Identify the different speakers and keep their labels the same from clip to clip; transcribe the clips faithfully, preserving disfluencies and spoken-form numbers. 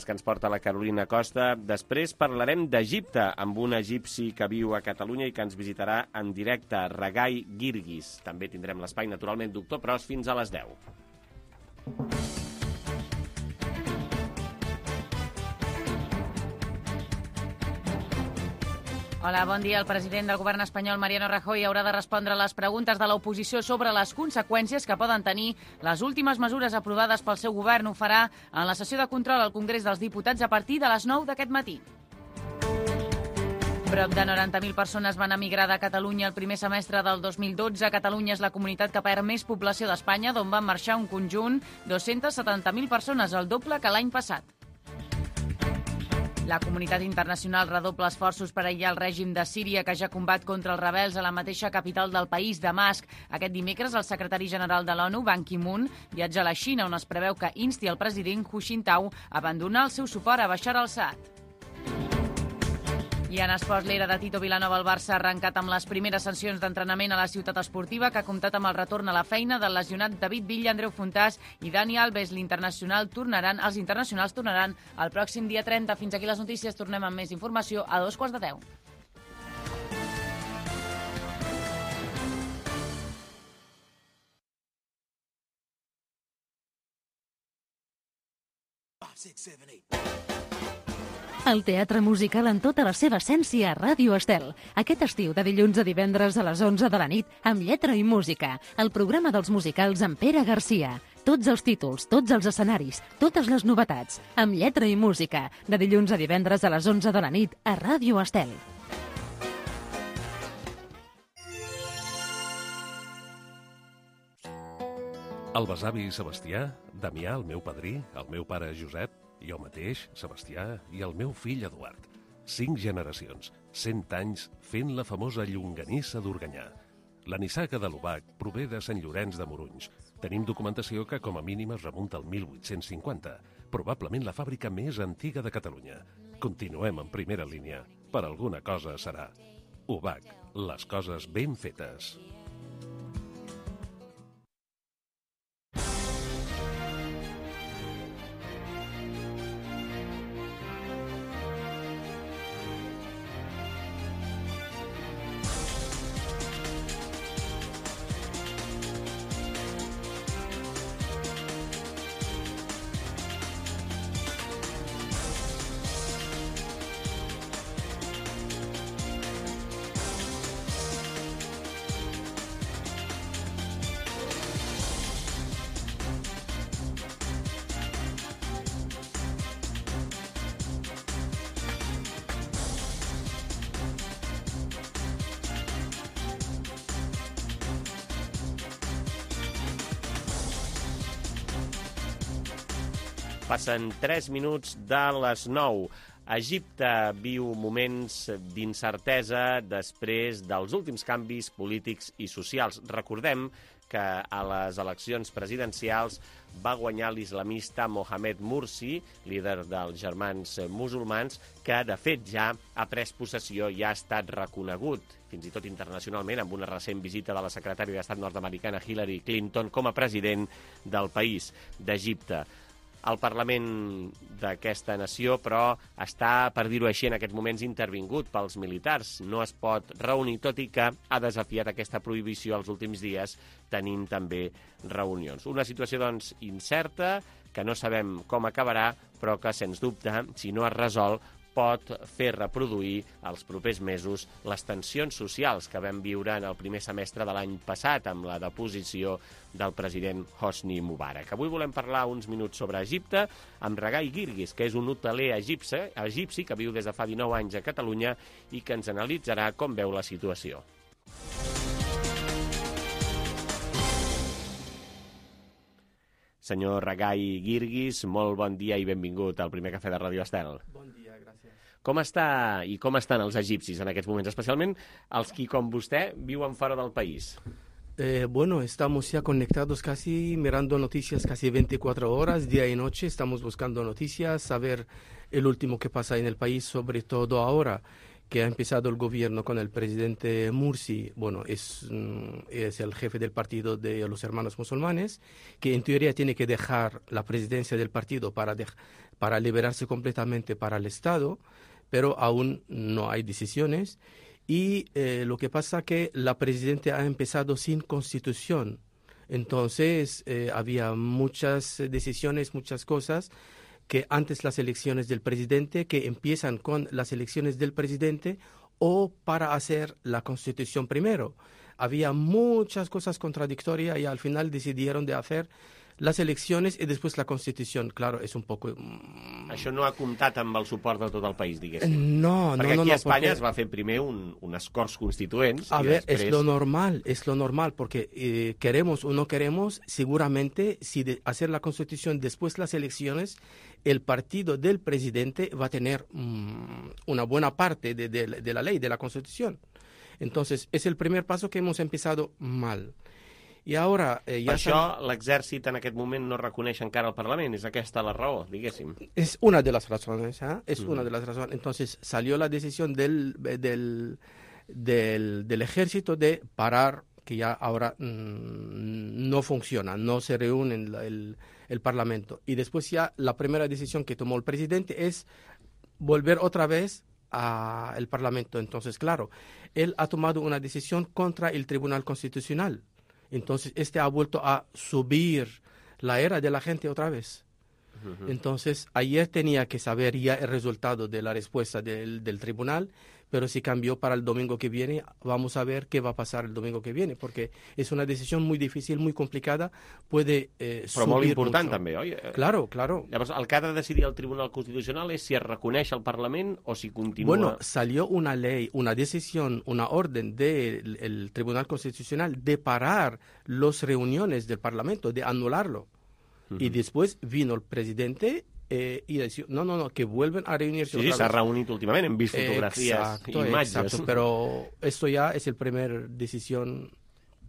Speaker 1: els que ens porta la Carolina Costa. Després parlarem d'Egipte, amb un egipci que viu a Catalunya i que ens visitarà en directe, Ragai Girgis. També tindrem l'espai, naturalment, Doctor Pros, fins a les deu.
Speaker 2: Hola, bon dia. El president del govern espanyol, Mariano Rajoy, haurà de respondre a les preguntes de l'oposició sobre les conseqüències que poden tenir les últimes mesures aprovades pel seu govern. Ho farà en la sessió de control al Congrés dels Diputats a partir de les nou d'aquest matí. Prop de noranta mil persones van emigrar de Catalunya el primer semestre del dos mil dotze. Catalunya és la comunitat que perd més població d'Espanya, d'on van marxar un conjunt dos-centes setanta mil persones, el doble que l'any passat. La comunitat internacional redobla esforços per aïllar el règim de Síria, que ja combat contra els rebels a la mateixa capital del país, Damasc. Aquest dimecres, el secretari general de l'ONU, Ban Ki-moon, viatja a la Xina, on es preveu que insti el president Hu Jintao a abandonar el seu suport a Bashar al-Assad. I en esports, l'era de Tito Vilanova al Barça ha arrencat amb les primeres sessions d'entrenament a la ciutat esportiva, que ha comptat amb el retorn a la feina del lesionat David Villa, Andreu Fontàs i Dani Alves. L'internacional tornaran, els internacionals tornaran el pròxim dia trenta. Fins aquí les notícies. Tornem amb més informació a dos quarts de deu.
Speaker 3: El teatre musical en tota la seva essència a Ràdio Estel. Aquest estiu, de dilluns a divendres a les onze de la nit, amb lletra i música. El programa dels musicals amb Pere Garcia. Tots els títols, tots els escenaris, totes les novetats. Amb lletra i música. De dilluns a divendres a les onze de la nit a Ràdio Estel.
Speaker 4: El besavi Sebastià, Damià, el meu padrí, el meu pare Josep, jo mateix, Sebastià, i el meu fill Eduard. Cinc generacions, cent anys, fent la famosa llonganissa d'Organyà. La nissaga de l'Obac prové de Sant Llorenç de Morunys. Tenim documentació que com a mínim es remunta al mil vuit-cents cinquanta, probablement la fàbrica més antiga de Catalunya. Continuem en primera línia. Per alguna cosa serà. Obac, les coses ben fetes.
Speaker 1: Passen tres minuts de les nou. Egipte viu moments d'incertesa després dels últims canvis polítics i socials. Recordem que a les eleccions presidencials va guanyar l'islamista Mohamed Mursi, líder dels germans musulmans, que de fet ja ha pres possessió i ha estat reconegut, fins i tot internacionalment, amb una recent visita de la secretària d'Estat nord-americana Hillary Clinton com a president del país, d'Egipte. El Parlament d'aquesta nació, però, està, per dir-ho així, en aquests moments intervingut pels militars. No es pot reunir, tot i que ha desafiat aquesta prohibició els últims dies, tenint també reunions. Una situació, doncs, incerta, que no sabem com acabarà, però que, sens dubte, si no es resol, pot fer reproduir els propers mesos les tensions socials que vam viure en el primer semestre de l'any passat amb la deposició del president Hosni Mubarak. Avui volem parlar uns minuts sobre Egipte amb Ragai Girgis, que és un hoteler egipci, egipci que viu des de fa dinou anys a Catalunya i que ens analitzarà com veu la situació. Senyor Ragai Girgis, molt bon dia i benvingut al primer cafè de Ràdio Estel.
Speaker 5: Bon dia, gràcies.
Speaker 1: Com està i com estan els egipcis en aquests moments, especialment els qui, com vostè, viuen fora del país?
Speaker 5: Eh, bueno, estamos ya conectados casi, mirando noticias casi veinticuatro horas, día y noche. Estamos buscando noticias, saber el último que pasa en el país, sobre todo ahora que ha empezado el gobierno con el presidente Mursi, bueno, es, es el jefe del partido de los hermanos musulmanes, que en teoría tiene que dejar la presidencia del partido para, de, para liberarse completamente para el Estado, pero aún no hay decisiones. Y eh, lo que pasa es que la presidenta ha empezado sin constitución. Entonces, eh, había muchas decisiones, muchas cosas que antes las elecciones del presidente, que empiezan con las elecciones del presidente o para hacer la constitución primero. Había muchas cosas contradictorias y al final decidieron de hacer les eleccions i després la Constitució. Claro, és un poc...
Speaker 1: Això no ha comptat amb el suport de tot el país, diguéssim.
Speaker 5: No, no,
Speaker 1: Perquè
Speaker 5: no.
Speaker 1: aquí
Speaker 5: no,
Speaker 1: a Espanya
Speaker 5: porque...
Speaker 1: es va fer primer un, unes Corts Constituents.
Speaker 5: A
Speaker 1: y
Speaker 5: ver,
Speaker 1: després...
Speaker 5: es lo normal, es lo normal, porque eh, queremos o no queremos, seguramente, si de hacer la Constitución después las elecciones, el partido del presidente va a tener mmm, una buena parte de, de, de la ley, de la Constitución. Entonces, es el primer paso que hemos empezado mal. I ara... Eh, ja
Speaker 1: per això l'exèrcit en aquest moment no reconeix encara el Parlament. És aquesta la raó, diguéssim.
Speaker 5: Es una de las razones, ¿eh? Es mm. una de las razones. Entonces salió la decisión del, del, del, del ejército de parar, que ya ahora mmm, no funciona, no se reúne el, el, el Parlamento. Y después ya la primera decisión que tomó el presidente es volver otra vez al Parlamento. Entonces, claro, él ha tomado una decisión contra el Tribunal Constitucional. Entonces, este ha vuelto a subir la era de la gente otra vez. Uh-huh. Entonces, ayer tenía que saber ya el resultado de la respuesta del, del tribunal, pero si cambió para el domingo que viene, vamos a ver qué va a pasar el domingo que viene, porque es una decisión muy difícil, muy complicada, puede eh,
Speaker 1: Però
Speaker 5: subir
Speaker 1: molt important,
Speaker 5: mucho.
Speaker 1: també, oi?
Speaker 5: Claro, claro.
Speaker 1: Llavors, el que ha de decidir el Tribunal Constitucional és si es reconeix el Parlament o si continua...
Speaker 5: Bueno, salió una ley, una decisión, una orden del el Tribunal Constitucional de parar las reuniones del Parlamento, de anularlo. Uh-huh. Y después vino el presidente eh, y decía, no, no, no, que vuelven a reunirse.
Speaker 1: Sí, sí, s'ha reunit últimament, hem vist fotografies
Speaker 5: exacto,
Speaker 1: i imatges.
Speaker 5: Exacto, pero esto ya es el primer decisión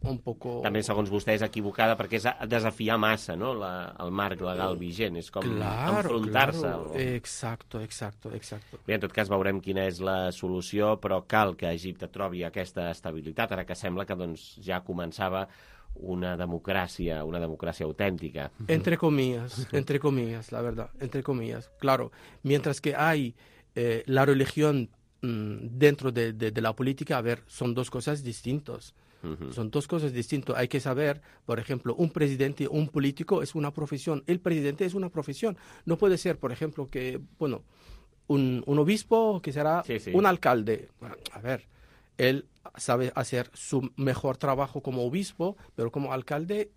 Speaker 5: un poco...
Speaker 1: També, segons vostè, és equivocada perquè és desafiar massa, no?, la, el marc legal vigent. És com
Speaker 5: claro,
Speaker 1: enfrontar-se.
Speaker 5: Claro.
Speaker 1: Al...
Speaker 5: Exacto, exacto, exacto.
Speaker 1: Bé, en tot cas veurem quina és la solució, però cal que Egipte trobi aquesta estabilitat, ara que sembla que doncs, ja començava una democràcia, una democràcia autèntica.
Speaker 5: Entre comillas, entre comillas, la verdad, entre comillas. Claro, mientras que hay eh, la religión mmm, dentro de, de, de la política, a ver, son dos cosas distintas. Uh-huh. Son dos cosas distintas. Hay que saber, por ejemplo, un presidente, un político es una profesión. El presidente es una profesión. No puede ser, por ejemplo, que, bueno, un, un obispo que será sí, sí. un alcalde. Bueno, a ver, él sabe hacer su mejor trabajo como obispo, pero como alcalde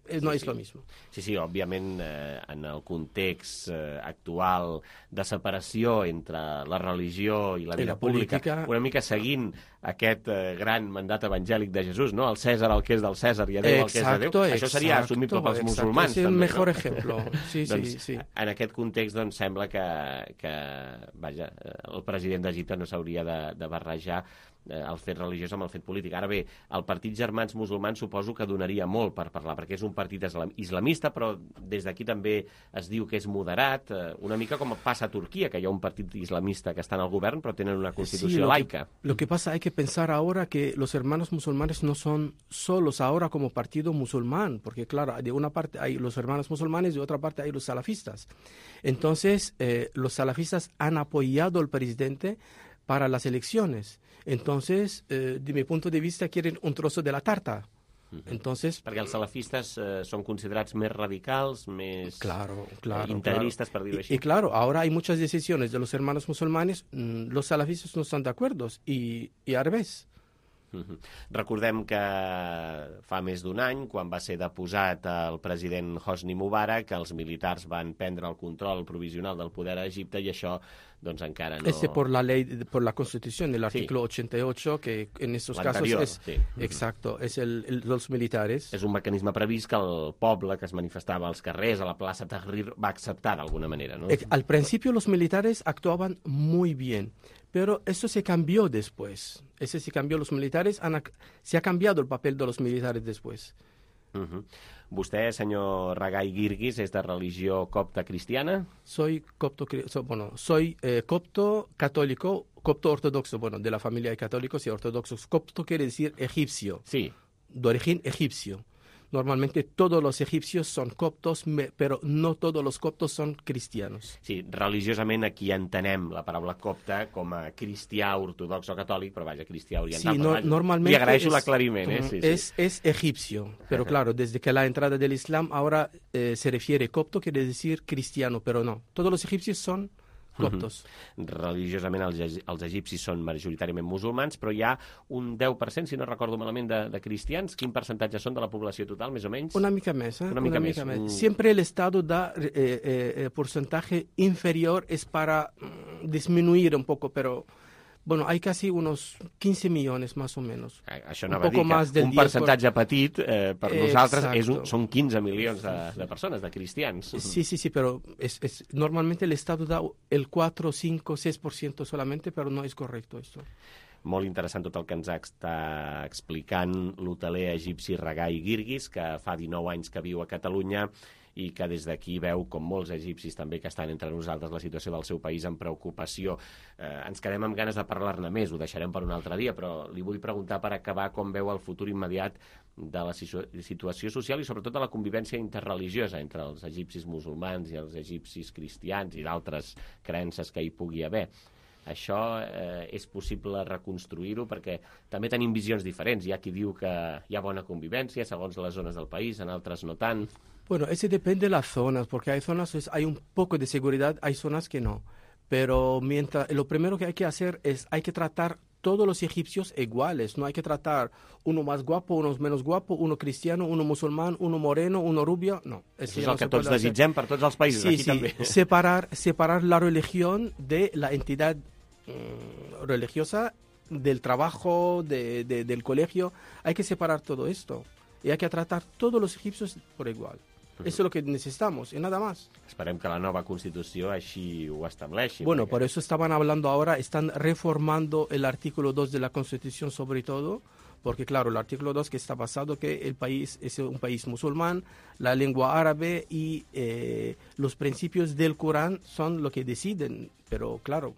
Speaker 5: eh, no
Speaker 1: sí,
Speaker 5: és
Speaker 1: sí.
Speaker 5: lo mismo.
Speaker 1: Sí, sí, òbviament, eh, en el context eh, actual de separació entre la religió i la vida
Speaker 5: la
Speaker 1: pública,
Speaker 5: política...
Speaker 1: una mica seguint aquest eh, gran mandat evangèlic de Jesús, no? El Cèsar el que és del Cèsar i a Déu el que és de Déu.
Speaker 5: Exacto,
Speaker 1: Això seria assumible pels
Speaker 5: exacto.
Speaker 1: musulmans.
Speaker 5: És el
Speaker 1: també,
Speaker 5: mejor
Speaker 1: no?
Speaker 5: ejemplo. Sí,
Speaker 1: doncs,
Speaker 5: sí, sí.
Speaker 1: En aquest context, doncs, sembla que, que vaja, el president d'Egipte no s'hauria de, de barrejar el fet religiós amb el fet polític. Ara bé, el Partit Germans Musulmans suposo que donaria molt per parlar, perquè és un partit islamista, però des d'aquí també es diu que és moderat, una mica com passa a Turquia, que hi ha un partit islamista que està en el govern, però tenen una constitució
Speaker 5: sí, lo
Speaker 1: laica.
Speaker 5: Que, lo que pasa, hay que pensar ahora que los hermanos musulmanes no son solos ahora como partido musulmán, porque claro, de una parte hay los hermanos musulmanes, de otra parte hay los salafistas. Entonces, eh, los salafistas han apoyado al presidente para las elecciones. Entonces, eh, de mi punto de vista, quieren un trozo de la tarta. Entonces,
Speaker 1: perquè els salafistes eh, són considerats més radicals, més
Speaker 5: claro, claro,
Speaker 1: eh, integristes,
Speaker 5: claro.
Speaker 1: per dir-ho així.
Speaker 5: Y, y claro, ahora hay muchas decisiones de los hermanos musulmanes, mmm, los salafistas no están de acuerdo, y, y al revés.
Speaker 1: Uh-huh. Recordem que fa més d'un any, quan va ser deposat el president Hosni Mubarak, els militars van prendre el control provisional del poder a Egipte i això doncs encara no...
Speaker 5: Ese por la ley, por la Constitución, el artículo sí. ochenta y ocho, que en estos casos es...
Speaker 1: Sí.
Speaker 5: Exacto, es el, el, los militares.
Speaker 1: És un mecanisme previst que el poble que es manifestava als carrers, a la plaça Tahrir, va acceptar d'alguna manera, ¿no?
Speaker 5: Al principio los militares actuaban muy bien, pero eso se cambió después. Ese se cambió, los militares, han, se ha cambiado el papel de los militares después.
Speaker 1: Uh-huh. Vostè, senyor Ragai Girgis, és de religió copta cristiana?
Speaker 5: Soy copto, so, bueno, soy eh, copto católico copto ortodoxo, bueno, de la familia de católicos y ortodoxos. Copto quiere decir egipcio,
Speaker 1: Sí.
Speaker 5: de origen egipcio. Normalmente todos los egipcios son coptos, me- però no todos los coptos son cristianos.
Speaker 1: Sí, religiosament aquí entenem la paraula copte com a cristià, ortodox o catòlic, però vaja, cristià oriental.
Speaker 5: Sí,
Speaker 1: però
Speaker 5: no-
Speaker 1: vaja,
Speaker 5: normalmente
Speaker 1: Li agraeixo
Speaker 5: es-
Speaker 1: l'aclariment, eh? Sí, sí.
Speaker 5: Es, es egipcio, pero claro, desde que la entrada del Islam ahora eh, se refiere copto, quiere decir cristiano, pero no. Todos los egipcios son coptos.
Speaker 1: Religiosament els, egi- els egipcis són majoritàriament musulmans, però hi ha un deu per cent, si no recordo malament, de, de cristians. Quin percentatge són de la població total, més o menys?
Speaker 5: Una mica més, ¿eh?
Speaker 1: Una mica més.
Speaker 5: més.
Speaker 1: Mm.
Speaker 5: Siempre el Estado da eh, eh, eh, porcentaje inferior, es para mm, disminuir un poco, pero bueno, hay casi unos quince millones más o menos.
Speaker 1: Eh, Això
Speaker 5: Un
Speaker 1: anava a dir
Speaker 5: poco
Speaker 1: que
Speaker 5: más del
Speaker 1: un
Speaker 5: diez por-
Speaker 1: percentatge petit eh, per nosaltres és un,
Speaker 5: Exacto.
Speaker 1: són quinze milions de, de persones, de cristians.
Speaker 5: Sí, sí, sí, pero es, es, normalmente el Estado da el cuatro, cinco, seis por ciento solamente, pero no es correcto esto.
Speaker 1: Molt interessant tot el que ens està explicant l'hoteler egipci Ragai Girgis, que fa dinou anys que viu a Catalunya i que des d'aquí veu, com molts egipcis també que estan entre nosaltres, la situació del seu país amb preocupació. Eh, ens quedem amb ganes de parlar-ne més, ho deixarem per un altre dia, però li vull preguntar per acabar com veu el futur immediat de la situ situació social i sobretot de la convivència interreligiosa entre els egipcis musulmans i els egipcis cristians i d'altres creences que hi pugui haver. Això eh, és possible reconstruir-ho perquè també tenim visions diferents. Hi ha qui diu que hi ha bona convivència segons les zones del país, en altres no tant.
Speaker 5: Bueno, ese depende de las zonas, porque hay zonas pues, hay un poco de seguridad, hay zonas que no. Pero mientras lo primero que hay que hacer es hay que tratar todos los egipcios iguales, no hay que tratar uno más guapo, uno menos guapo, uno cristiano, uno musulmán, uno moreno, uno rubio, no.
Speaker 1: Això és el que tots desitgem per tots els països,
Speaker 5: Sí,
Speaker 1: aquí
Speaker 5: sí,
Speaker 1: també.
Speaker 5: separar, separar la religión de la entidad mm, religiosa, del trabajo, de, de- del colegio. Hay que separar todo esto y hay que tratar todos los egipcios por igual. Eso es lo que necesitamos y nada más.
Speaker 1: Esperem que la nova Constitució així ho estableixi.
Speaker 5: Bueno,
Speaker 1: perquè-
Speaker 5: por eso estaban hablando ahora, están reformando el artículo dos de la Constitución sobre todo, porque claro, el artículo dos que está basado que el país es un país musulmán, la lengua árabe y eh, los principios del Corán son lo que deciden, pero claro,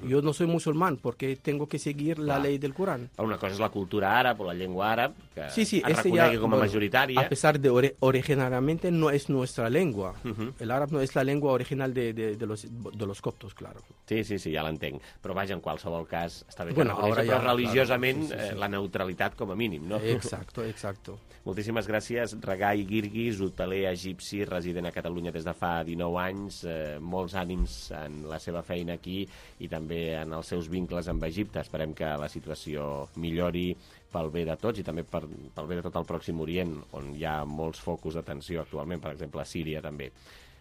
Speaker 5: yo no soy musulmán porque tengo que seguir la
Speaker 1: Clar.
Speaker 5: ley del Corán.
Speaker 1: Una cosa és la cultura àrab o la llengua àrab, que
Speaker 5: Sí, sí,
Speaker 1: es
Speaker 5: este ya,
Speaker 1: reconegui com a
Speaker 5: bueno,
Speaker 1: majoritària.
Speaker 5: a pesar de ori- originariamente no es nuestra lengua.
Speaker 1: Ujú.
Speaker 5: El árabe no es la lengua original de, de, de los, de los coptos, claro.
Speaker 1: Sí, sí, sí, ja l'entenc. Però vaja, en qualsevol cas, està bé que
Speaker 5: Bueno,
Speaker 1: no coneixi,
Speaker 5: ara
Speaker 1: però
Speaker 5: ja,
Speaker 1: religiosament
Speaker 5: claro, sí, sí, sí.
Speaker 1: eh, la neutralitat com a mínim, no?
Speaker 5: Exacto, exacto.
Speaker 1: Moltíssimes gràcies, Ragai Girgis, hoteler egipci, resident a Catalunya des de fa dinou anys. Eh, molts ànims en la seva feina aquí i també en els seus vincles amb Egipte. Esperem que la situació millori pel bé de tots i també per, pel bé de tot el Pròxim Orient, on hi ha molts focus d'atenció actualment, per exemple, a Síria també.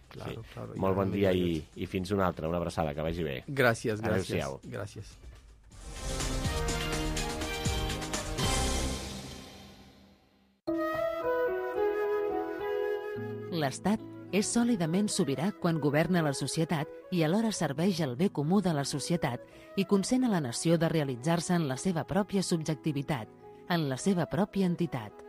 Speaker 5: Claro, claro,
Speaker 1: Molt
Speaker 5: ja
Speaker 1: bon
Speaker 5: no
Speaker 1: dia
Speaker 5: digo
Speaker 1: i, i fins una altra. Una abraçada, que vagi bé.
Speaker 5: Gracias, gracias.
Speaker 1: Adéu-siau.
Speaker 5: Gracias.
Speaker 3: L'Estat és sòlidament sobirà quan governa la societat i alhora serveix el bé comú de la societat i consent a la nació de realitzar-se en la seva pròpia subjectivitat, en la seva pròpia entitat.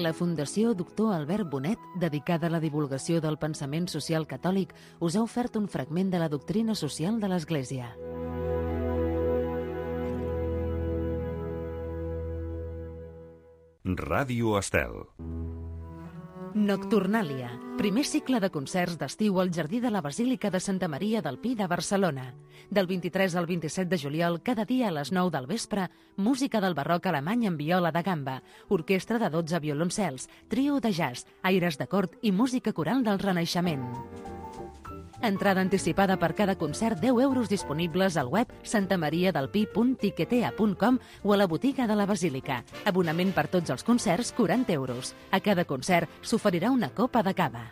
Speaker 3: La Fundació Doctor Albert Bonet, dedicada a la divulgació del pensament social catòlic, us ha ofert un fragment de la doctrina social de l'Església.
Speaker 6: Ràdio Estel.
Speaker 3: Nocturnàlia, primer cicle de concerts d'estiu al Jardí de la Basílica de Santa Maria del Pi de Barcelona. Del vint-i-tres al vint-i-set de juliol, cada dia a les nou del vespre, música del barroc alemany amb viola de gamba, orquestra de dotze violoncels, trio de jazz, aires de cort i música coral del Renaixement. Entrada anticipada per cada concert, deu euros disponibles al web santamariadelpi punt tiquetea punt com o a la botiga de la Basílica. Abonament per tots els concerts, quaranta euros. A cada concert s'oferirà una copa de cava.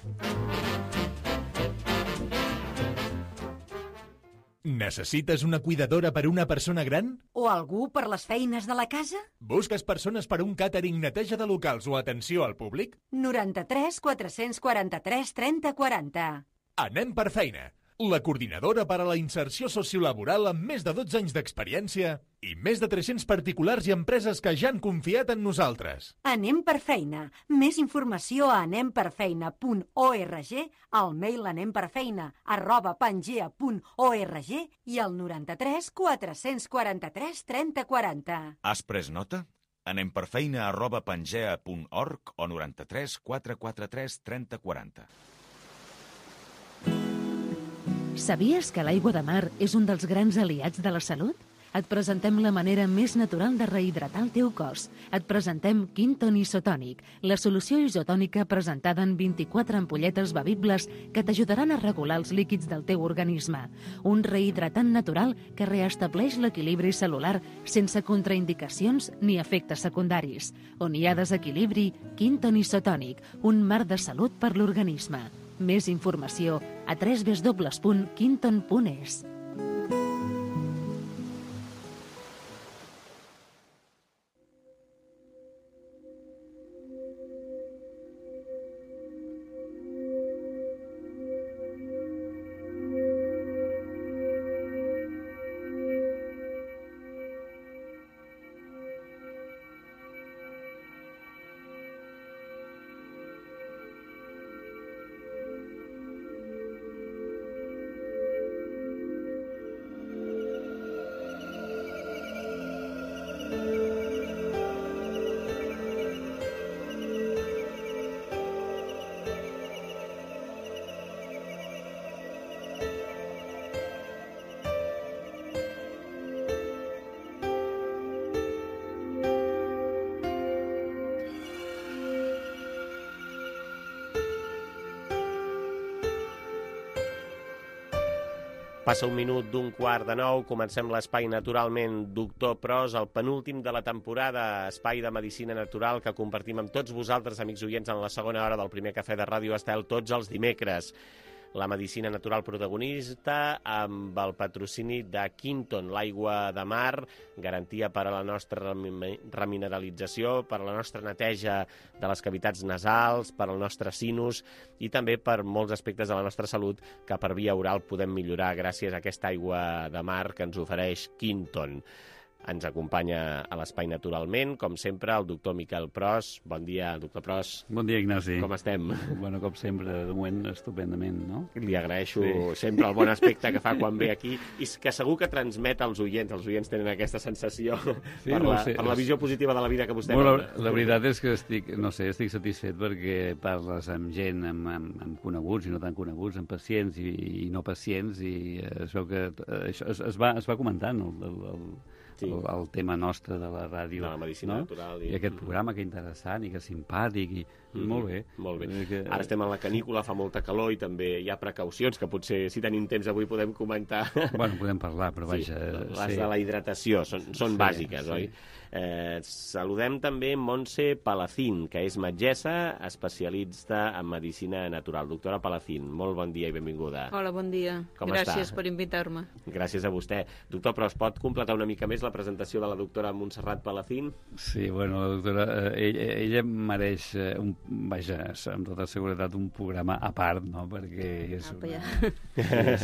Speaker 7: Necessites una cuidadora per una persona gran?
Speaker 8: O algú per les feines de la casa?
Speaker 7: Busques persones per un càtering, neteja de locals o atenció al públic?
Speaker 8: noranta-tres quatre-cents quaranta-tres trenta quaranta.
Speaker 7: Anem per feina. la coordinadora per a la inserció sociolaboral amb més de dotze anys d'experiència i més de tres-cents particulars i empreses que ja han confiat en nosaltres.
Speaker 8: Anem per feina. Més informació a anem per feina punt org, al mail anemperfeina arroba pangea punt org i al noranta-tres quatre-cents quaranta-tres trenta quaranta.
Speaker 6: Has pres nota? Anem per feina arroba pangea punt org o noranta-tres quatre quaranta-tres trenta quaranta.
Speaker 3: Sabies que l'aigua de mar és un dels grans aliats de la salut? Et presentem la manera més natural de rehidratar el teu cos. Et presentem Quinton Isotònic, la solució isotònica presentada en vint-i-quatre ampolletes bevibles que t'ajudaran a regular els líquids del teu organisme. Un rehidratant natural que reestableix l'equilibri celular sense contraindicacions ni efectes secundaris. On hi ha desequilibri, Quinton Isotònic, un mar de salut per l'organisme. Més informació a w w w punt quinton punt e s.
Speaker 1: Passa un minut d'un quart de nou, comencem l'espai naturalment Doctor Pros, el penúltim de la temporada, espai de medicina natural que compartim amb tots vosaltres, amics oients, en la segona hora del primer cafè de Ràdio Estel, tots els dimecres. La medicina natural protagonista amb el patrocini de Quinton, l'aigua de mar, garantia per a la nostra remineralització, per a la nostra neteja de les cavitats nasals, per al nostre sinus i també per molts aspectes de la nostra salut que per via oral podem millorar gràcies a aquesta aigua de mar que ens ofereix Quinton. Ens acompanya a l'espai naturalment, com sempre, el doctor Miquel Pros. Bon dia, doctor Pros.
Speaker 9: Bon dia, Ignasi.
Speaker 1: Com estem?
Speaker 9: Bueno, com sempre, de moment, estupendament, no?
Speaker 1: Li agraeixo sí. sempre el bon aspecte que fa quan ve aquí i que segur que transmet als oients. Els oients tenen aquesta sensació sí, per, no la, sé. per la visió positiva de la vida que vostè
Speaker 9: bueno,
Speaker 1: la,
Speaker 9: la veritat és que estic, no sé, estic satisfet perquè parles amb gent, amb, amb, amb coneguts i no tan coneguts, amb pacients i, i no pacients, i es veu que això es, es, va, es va comentant el, el, el Sí. El, el tema nostre de la ràdio,
Speaker 1: de la medicina
Speaker 9: no?
Speaker 1: natural
Speaker 9: i... i aquest programa que interessant i que simpàtic i mm-hmm. molt bé,
Speaker 1: molt bé.
Speaker 9: Que...
Speaker 1: Ara estem en la canícula, fa molta calor i també hi ha precaucions que potser si tenim temps avui podem comentar.
Speaker 9: Bueno, podem parlar, però vaja
Speaker 1: sí, les
Speaker 9: sí.
Speaker 1: de la hidratació són, són
Speaker 9: sí,
Speaker 1: bàsiques,
Speaker 9: sí.
Speaker 1: oi? Eh, saludem també Montse Palacín, que és metgessa especialista en medicina natural. Doctora Palacín, molt bon dia i benvinguda.
Speaker 10: Hola, bon dia.
Speaker 1: Com
Speaker 10: Gràcies
Speaker 1: està?
Speaker 10: per invitar-me.
Speaker 1: Gràcies a vostè. Doctor, però es pot completar una mica més la presentació de la doctora Montserrat Palacín?
Speaker 9: Sí, bueno, la doctora, eh, ella, ella mereix, eh, un, vaja, amb tota seguretat, un programa a part, no?, perquè és
Speaker 10: Apa,
Speaker 9: una...
Speaker 10: ja.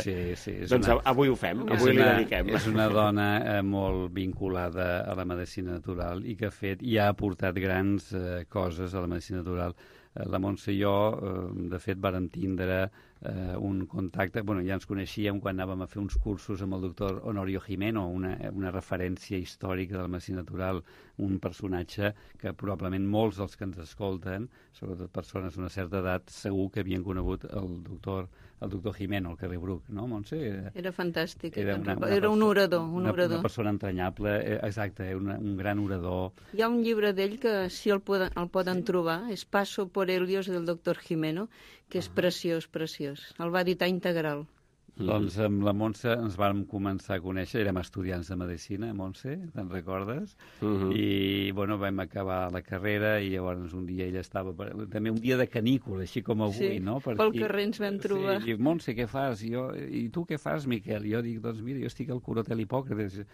Speaker 9: Sí, sí, sí. És
Speaker 1: doncs
Speaker 9: una...
Speaker 1: avui ho fem,
Speaker 9: és
Speaker 1: avui
Speaker 9: una,
Speaker 1: li dediquem.
Speaker 9: És una dona eh, molt vinculada a la medicina natural i que ha fet i ha aportat grans eh, coses a la medicina natural. Eh, la Montse i jo, eh, de fet, vàrem tindre eh, un contacte, bueno, ja ens coneixíem quan anàvem a fer uns cursos amb el doctor Honorio Jimeno, una, una referència històrica de la medicina natural, un personatge que probablement molts dels que ens escolten, sobretot persones d'una certa edat, segur que havien conegut el doctor el doctor Jimeno, al carrer Bruc, no, Montse? Era,
Speaker 10: era fantàstic.
Speaker 9: Era, una, una
Speaker 10: era un orador. Un
Speaker 9: una,
Speaker 10: orador.
Speaker 9: una persona entranyable, eh, exacte, una, un gran orador.
Speaker 10: Hi ha un llibre d'ell que, si el poden, el poden sí. trobar, és Paso por Helios del doctor Jimeno, que és ah. preciós, preciós. El va editar integral.
Speaker 9: Mm. Doncs amb la Montse ens vam començar a conèixer, érem estudiants de medicina, Montse, te'n recordes? Mm -hmm. I, bueno, vam acabar la carrera i llavors un dia ella estava, també un dia de canícula, així com avui,
Speaker 10: sí,
Speaker 9: no?
Speaker 10: Per pel carrer ens vam trobar.
Speaker 9: Sí, i Montse, què fas? I, jo, I tu què fas, Miquel? I jo dic, doncs mira, jo estic al Curotel Hipòcrates.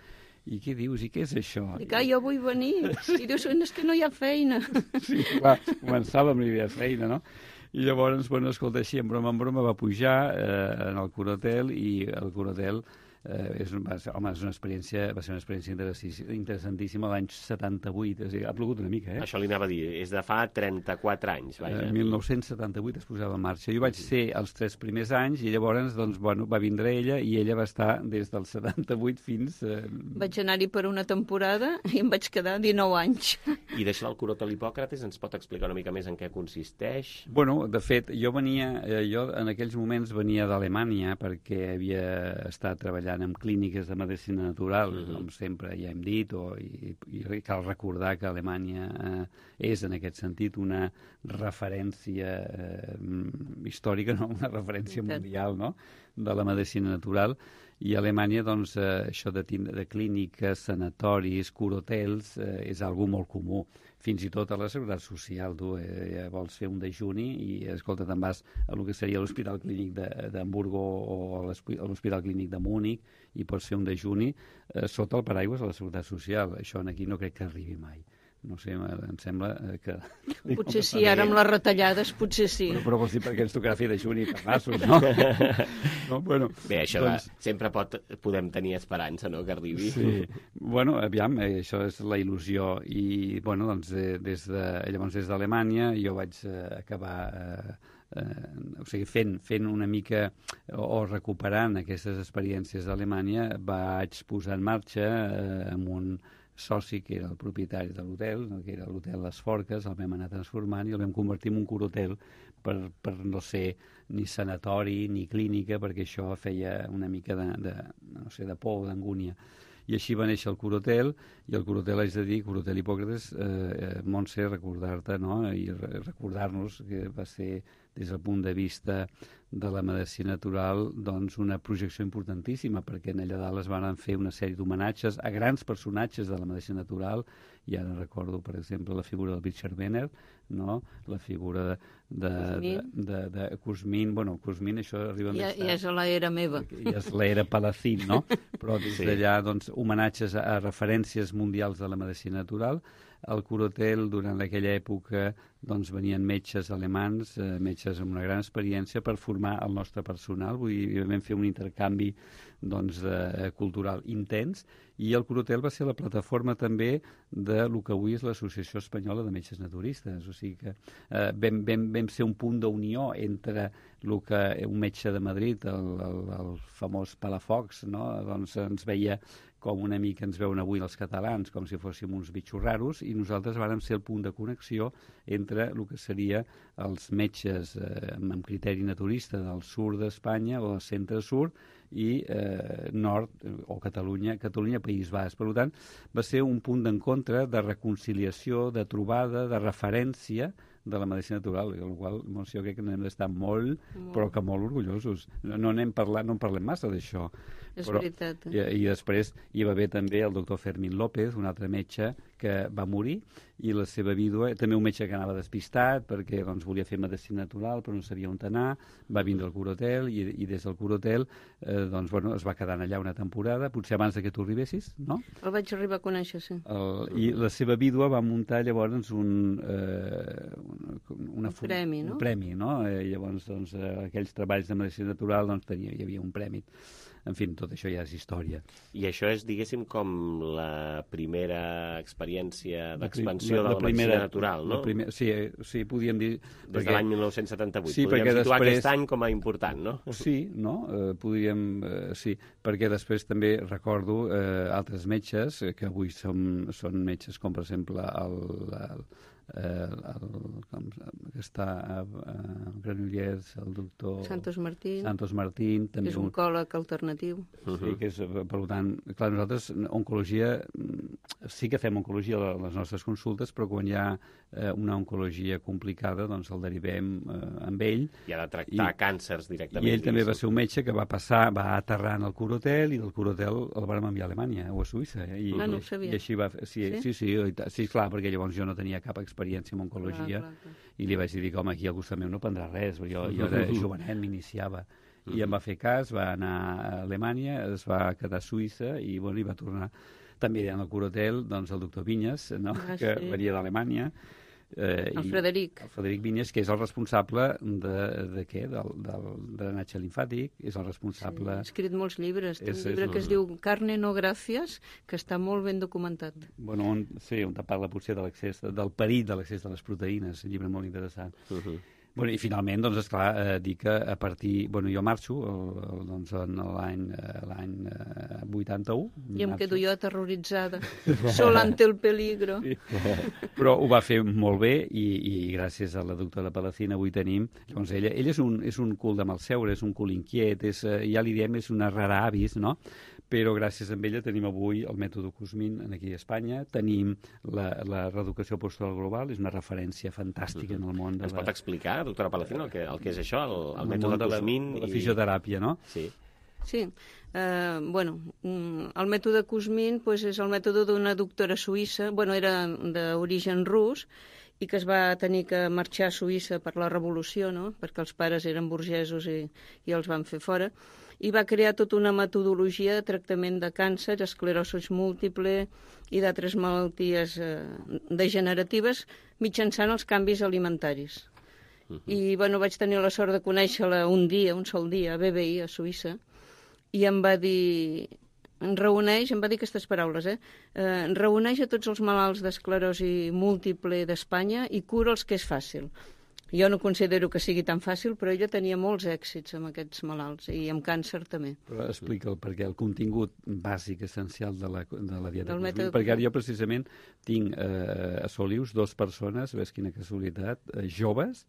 Speaker 9: I què dius? I què és això?
Speaker 10: Dic, ah, jo vull venir. Sí. I dius, és que no hi ha feina.
Speaker 9: Sí, clar, començàvem i hi havia feina, no? I llavors, bueno, escolta, així, en broma, en broma, va pujar eh, en el Curahotel i el Curahotel eh, és, va, ser, home, és una experiència, va ser una experiència interessantíssima l'any setanta-vuit, és a dir, ha plogut una mica, eh?
Speaker 1: Això li anava a dir, és de fa trenta-quatre anys, vaja.
Speaker 9: En mil nou-cents setanta-vuit es posava en marxa. Jo vaig ser els tres primers anys i llavors, doncs, bueno, va vindre ella i ella va estar des del setanta-vuit fins... Eh...
Speaker 10: Vaig anar-hi per una temporada i em vaig quedar dinou anys.
Speaker 1: I d'això del Curahotel Hipòcrates ens pot explicar una mica més en què consisteix?
Speaker 9: Bueno, de fet, jo venia, eh, jo en aquells moments venia d'Alemanya perquè havia estat treballant en clíniques de medicina natural, uh-huh. com sempre ja hem dit, o, i, i cal recordar que Alemanya eh, és en aquest sentit una referència eh, històrica, no? Una referència mundial, no? De la medicina natural, i a Alemanya doncs, eh, això de, de clíniques, sanatoris, curotels, eh, és algo molt comú. Fins i tot a la Seguretat Social, tu eh, vols fer un dejuni i, escolta, te'n vas a lo que seria l'Hospital Clínic d'Hamburgo o a l'Hospital Clínic de Múnich i pots fer un dejuni eh, sota el paraigües de la Seguretat Social. Això aquí no crec que arribi mai. No sé, em sembla que...
Speaker 10: Potser sí, ara amb les retallades, potser sí.
Speaker 9: Però, però vols dir perquè ens tocarà fer dejuni per nassos, no? no? Bueno,
Speaker 1: bé, això
Speaker 9: doncs...
Speaker 1: va, sempre pot, podem tenir esperança, no?, que arribi.
Speaker 9: Sí. Bueno, aviam, eh, això és la il·lusió. I, bueno, doncs, eh, des de, llavors des d'Alemanya jo vaig eh, acabar... Eh, eh, o sigui, fent, fent una mica o, o recuperant aquestes experiències d'Alemanya, vaig posar en marxa eh, amb un soci que era el propietari de l'hotel, que era l'hotel Les Forques, el vam anar transformant i el vam convertir en un curhotel per, per no ser ni sanatori ni clínica, perquè això feia una mica de, de, no sé, de por, d'angúnia. I així va néixer el Curhotel, i el Curhotel, haig de dir, Curhotel Hipòcrates, eh, Montse, recordar-te, no?, i re recordar-nos que va ser, des del punt de vista de la medicina natural, doncs una projecció importantíssima, perquè en allà dalt es van fer una sèrie d'homenatges a grans personatges de la medicina natural, i ara recordo, per exemple, la figura del Richard Benner, no?, la figura de, de, de, de, de Cosmin, bueno, Cosmin, això arriba
Speaker 10: ja,
Speaker 9: més tard.
Speaker 10: Ja és l'era meva.
Speaker 9: Ja és l'era Palacín, no? Però des
Speaker 1: sí.
Speaker 9: d'allà, doncs, homenatges a, a referències mundials de la medicina natural. Al Curhotel, durant aquella època, doncs, venien metges alemans, eh, metges amb una gran experiència per formar el nostre personal. Vull dir, vam fer un intercanvi doncs, de, cultural intens, i el Curhotel va ser la plataforma també de lo que avui és l'Associació Espanyola de Metges Naturistes. O sigui que eh, vam, vam, vam ser un punt d'unió entre el que un metge de Madrid, el, el, el famós Palafox, no?, doncs ens veia com una mica ens veuen avui els catalans, com si fóssim uns bitxos raros, i nosaltres vàrem ser el punt de connexió entre el que seria els metges eh, amb criteri naturista del sud d'Espanya o del centre-sud i eh, nord, o Catalunya, Catalunya, País Basc. Per tant, va ser un punt d'encontre, de reconciliació, de trobada, de referència de la medicina natural, amb la qual cosa jo crec que n'hem d'estar molt, molt, però que molt orgullosos. No, no n'hem parlat, no en parlem massa d'això.
Speaker 10: És
Speaker 9: però,
Speaker 10: veritat.
Speaker 9: I, I després hi va haver també el doctor Fermín López, un altre metge que va morir, i la seva vídua, també un metge que anava despistat perquè doncs, volia fer medicina natural però no sabia on anar, va vindre al Curhotel i, i des del Curhotel eh, doncs, bueno, es va quedar allà una temporada, potser abans que tu arribessis, no?
Speaker 10: El vaig arribar a conèixer, sí.
Speaker 9: El, I la seva vídua va muntar llavors un, eh, una, una,
Speaker 10: un premi, no?
Speaker 9: Un premi, no? Eh, llavors, doncs, eh, aquells treballs de medicina natural doncs, tenia, hi havia un premi. En fi, tot això ja és història.
Speaker 1: I això és, diguéssim, com la primera experiència d'expansió
Speaker 9: la, la, la
Speaker 1: de la
Speaker 9: primera,
Speaker 1: medicina natural, no?
Speaker 9: La primer, sí, sí, podríem dir...
Speaker 1: Des
Speaker 9: perquè,
Speaker 1: de l'any mil nou-cents setanta-vuit.
Speaker 9: Sí,
Speaker 1: podríem situar
Speaker 9: després,
Speaker 1: aquest any com a important, no?
Speaker 9: Sí, no? Eh, podríem... Eh, sí, perquè després també recordo eh, altres metges eh, que avui som, són metges com, per exemple, el... el Eh, el, com, que està a, a Granollers, el doctor
Speaker 10: Santos Martín,
Speaker 9: Santos Martín també
Speaker 10: és un oncòleg alternatiu.
Speaker 9: Sí, que és, per tant, clar, nosaltres oncologia, sí que fem oncologia a les nostres consultes, però quan hi ha eh, una oncologia complicada, doncs el derivem eh, amb ell.
Speaker 1: I ha de tractar i, càncers directament.
Speaker 9: I ell també va ser un metge que va passar, va aterrar en el Curhotel, i del Curhotel el vam enviar a Alemanya o a Suïssa. I,
Speaker 10: ah, no ho sabia.
Speaker 9: I així va, sí, sí, sí, sí, sí, sí, clar, perquè llavors jo no tenia cap experiència experiència en oncologia, clar, clar, clar. I li vaig dir que, home, aquí al costat meu no prendrà res, jo, jo era jovenet, m'iniciava. I em va fer cas, va anar a Alemanya, es va quedar a Suïssa i, bueno, i va tornar. També en el Curhotel, doncs, el doctor Vinyes, no? ah, que sí. venia d'Alemanya, Eh,
Speaker 10: el Frederic.
Speaker 9: El Frederic Vinyes, que és el responsable de, de què? Del, del drenatge limfàtic, és el responsable...
Speaker 10: Sí, ha escrit molts llibres. Té
Speaker 9: és,
Speaker 10: un llibre
Speaker 9: és,
Speaker 10: que es diu Carne no gràcies, que està molt ben documentat.
Speaker 9: Bueno, on, sí, on te parla potser de l'accés, del perill de l'accés de les proteïnes, un llibre molt interessant. Uh-huh. Bueno, i finalment, doncs, esclar, eh, dir que a partir... Bueno, jo marxo el, el, doncs, en l'any l'any eh, vuitanta-u.
Speaker 10: I em
Speaker 9: marxo.
Speaker 10: quedo jo aterroritzada, sol ante el peligro.
Speaker 9: Sí. Però ho va fer molt bé i, i gràcies a la doctora Palacín avui tenim... Llavors, ella, ella és, un, és un cul de malseure, és un cul inquiet, és, ja li diem, és una rara avis, no? Però gràcies a ella tenim avui el mètode Cosmin aquí a Espanya, tenim la, la reeducació postural global, és una referència fantàstica en el món de
Speaker 1: Ens
Speaker 9: la...
Speaker 1: pot explicar, doctora Palacín, el que, el que és això, el, el,
Speaker 9: el
Speaker 1: mètode
Speaker 9: món de la,
Speaker 1: Cosmin?
Speaker 9: de la
Speaker 1: i...
Speaker 9: fisioteràpia, no?
Speaker 1: Sí.
Speaker 10: Sí, eh, bueno, el mètode Kuzmin pues, és el mètode d'una doctora suïssa, bueno, era d'origen rus, i que es va tenir que marxar a Suïssa per la revolució, no? Perquè els pares eren burgesos i, i els van fer fora, i va crear tota una metodologia de tractament de càncer, esclerosi múltiple i d'altres malalties eh, degeneratives mitjançant els canvis alimentaris. Uh-huh. I bueno, vaig tenir la sort de conèixer-la un dia, un sol dia, a B B I, a Suïssa, i em va dir, em reuneix, em va dir aquestes paraules, eh? eh reuneix a tots els malalts d'esclerosi múltiple d'Espanya i cura els que és fàcil. Jo no considero que sigui tan fàcil, però ella tenia molts èxits amb aquests malalts, i amb càncer també.
Speaker 9: Però explica'l, perquè el contingut bàsic, essencial de la, de la dieta
Speaker 10: Del
Speaker 9: Cosmin,
Speaker 10: mètode...
Speaker 9: perquè ara jo precisament tinc eh, a Solius dos persones, ves quina casualitat, eh, joves,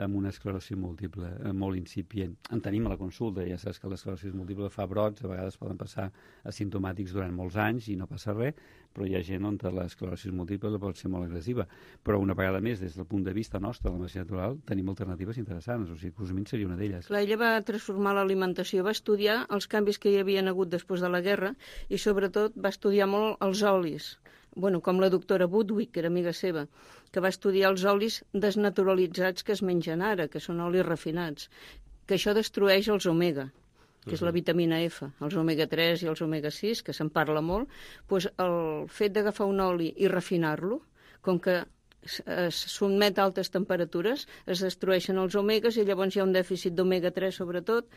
Speaker 9: amb una esclerosi múltiple eh, molt incipient. En tenim a la consulta, ja saps que l'esclerosi múltiple fa brots, a vegades poden passar asimptomàtics durant molts anys i no passa res, però hi ha gent on l'esclerosi múltiple pot ser molt agressiva. Però una vegada més, des del punt de vista nostre de la medicina natural, tenim alternatives interessants, o sigui, Cosmin seria una d'elles.
Speaker 10: Clar, ella va transformar l'alimentació, va estudiar els canvis que hi havia hagut després de la guerra i sobretot va estudiar molt els olis. Bueno, com la doctora Budwig, que era amiga seva, que va estudiar els olis desnaturalitzats que es mengen ara, que són olis refinats, que això destrueix els omega, que és la vitamina F, els omega tres i els omega sis, que se'n parla molt, doncs el fet d'agafar un oli i refinar-lo, com que es sotmet a altes temperatures, es destrueixen els omegas i llavors hi ha un dèficit d'omega tres sobretot,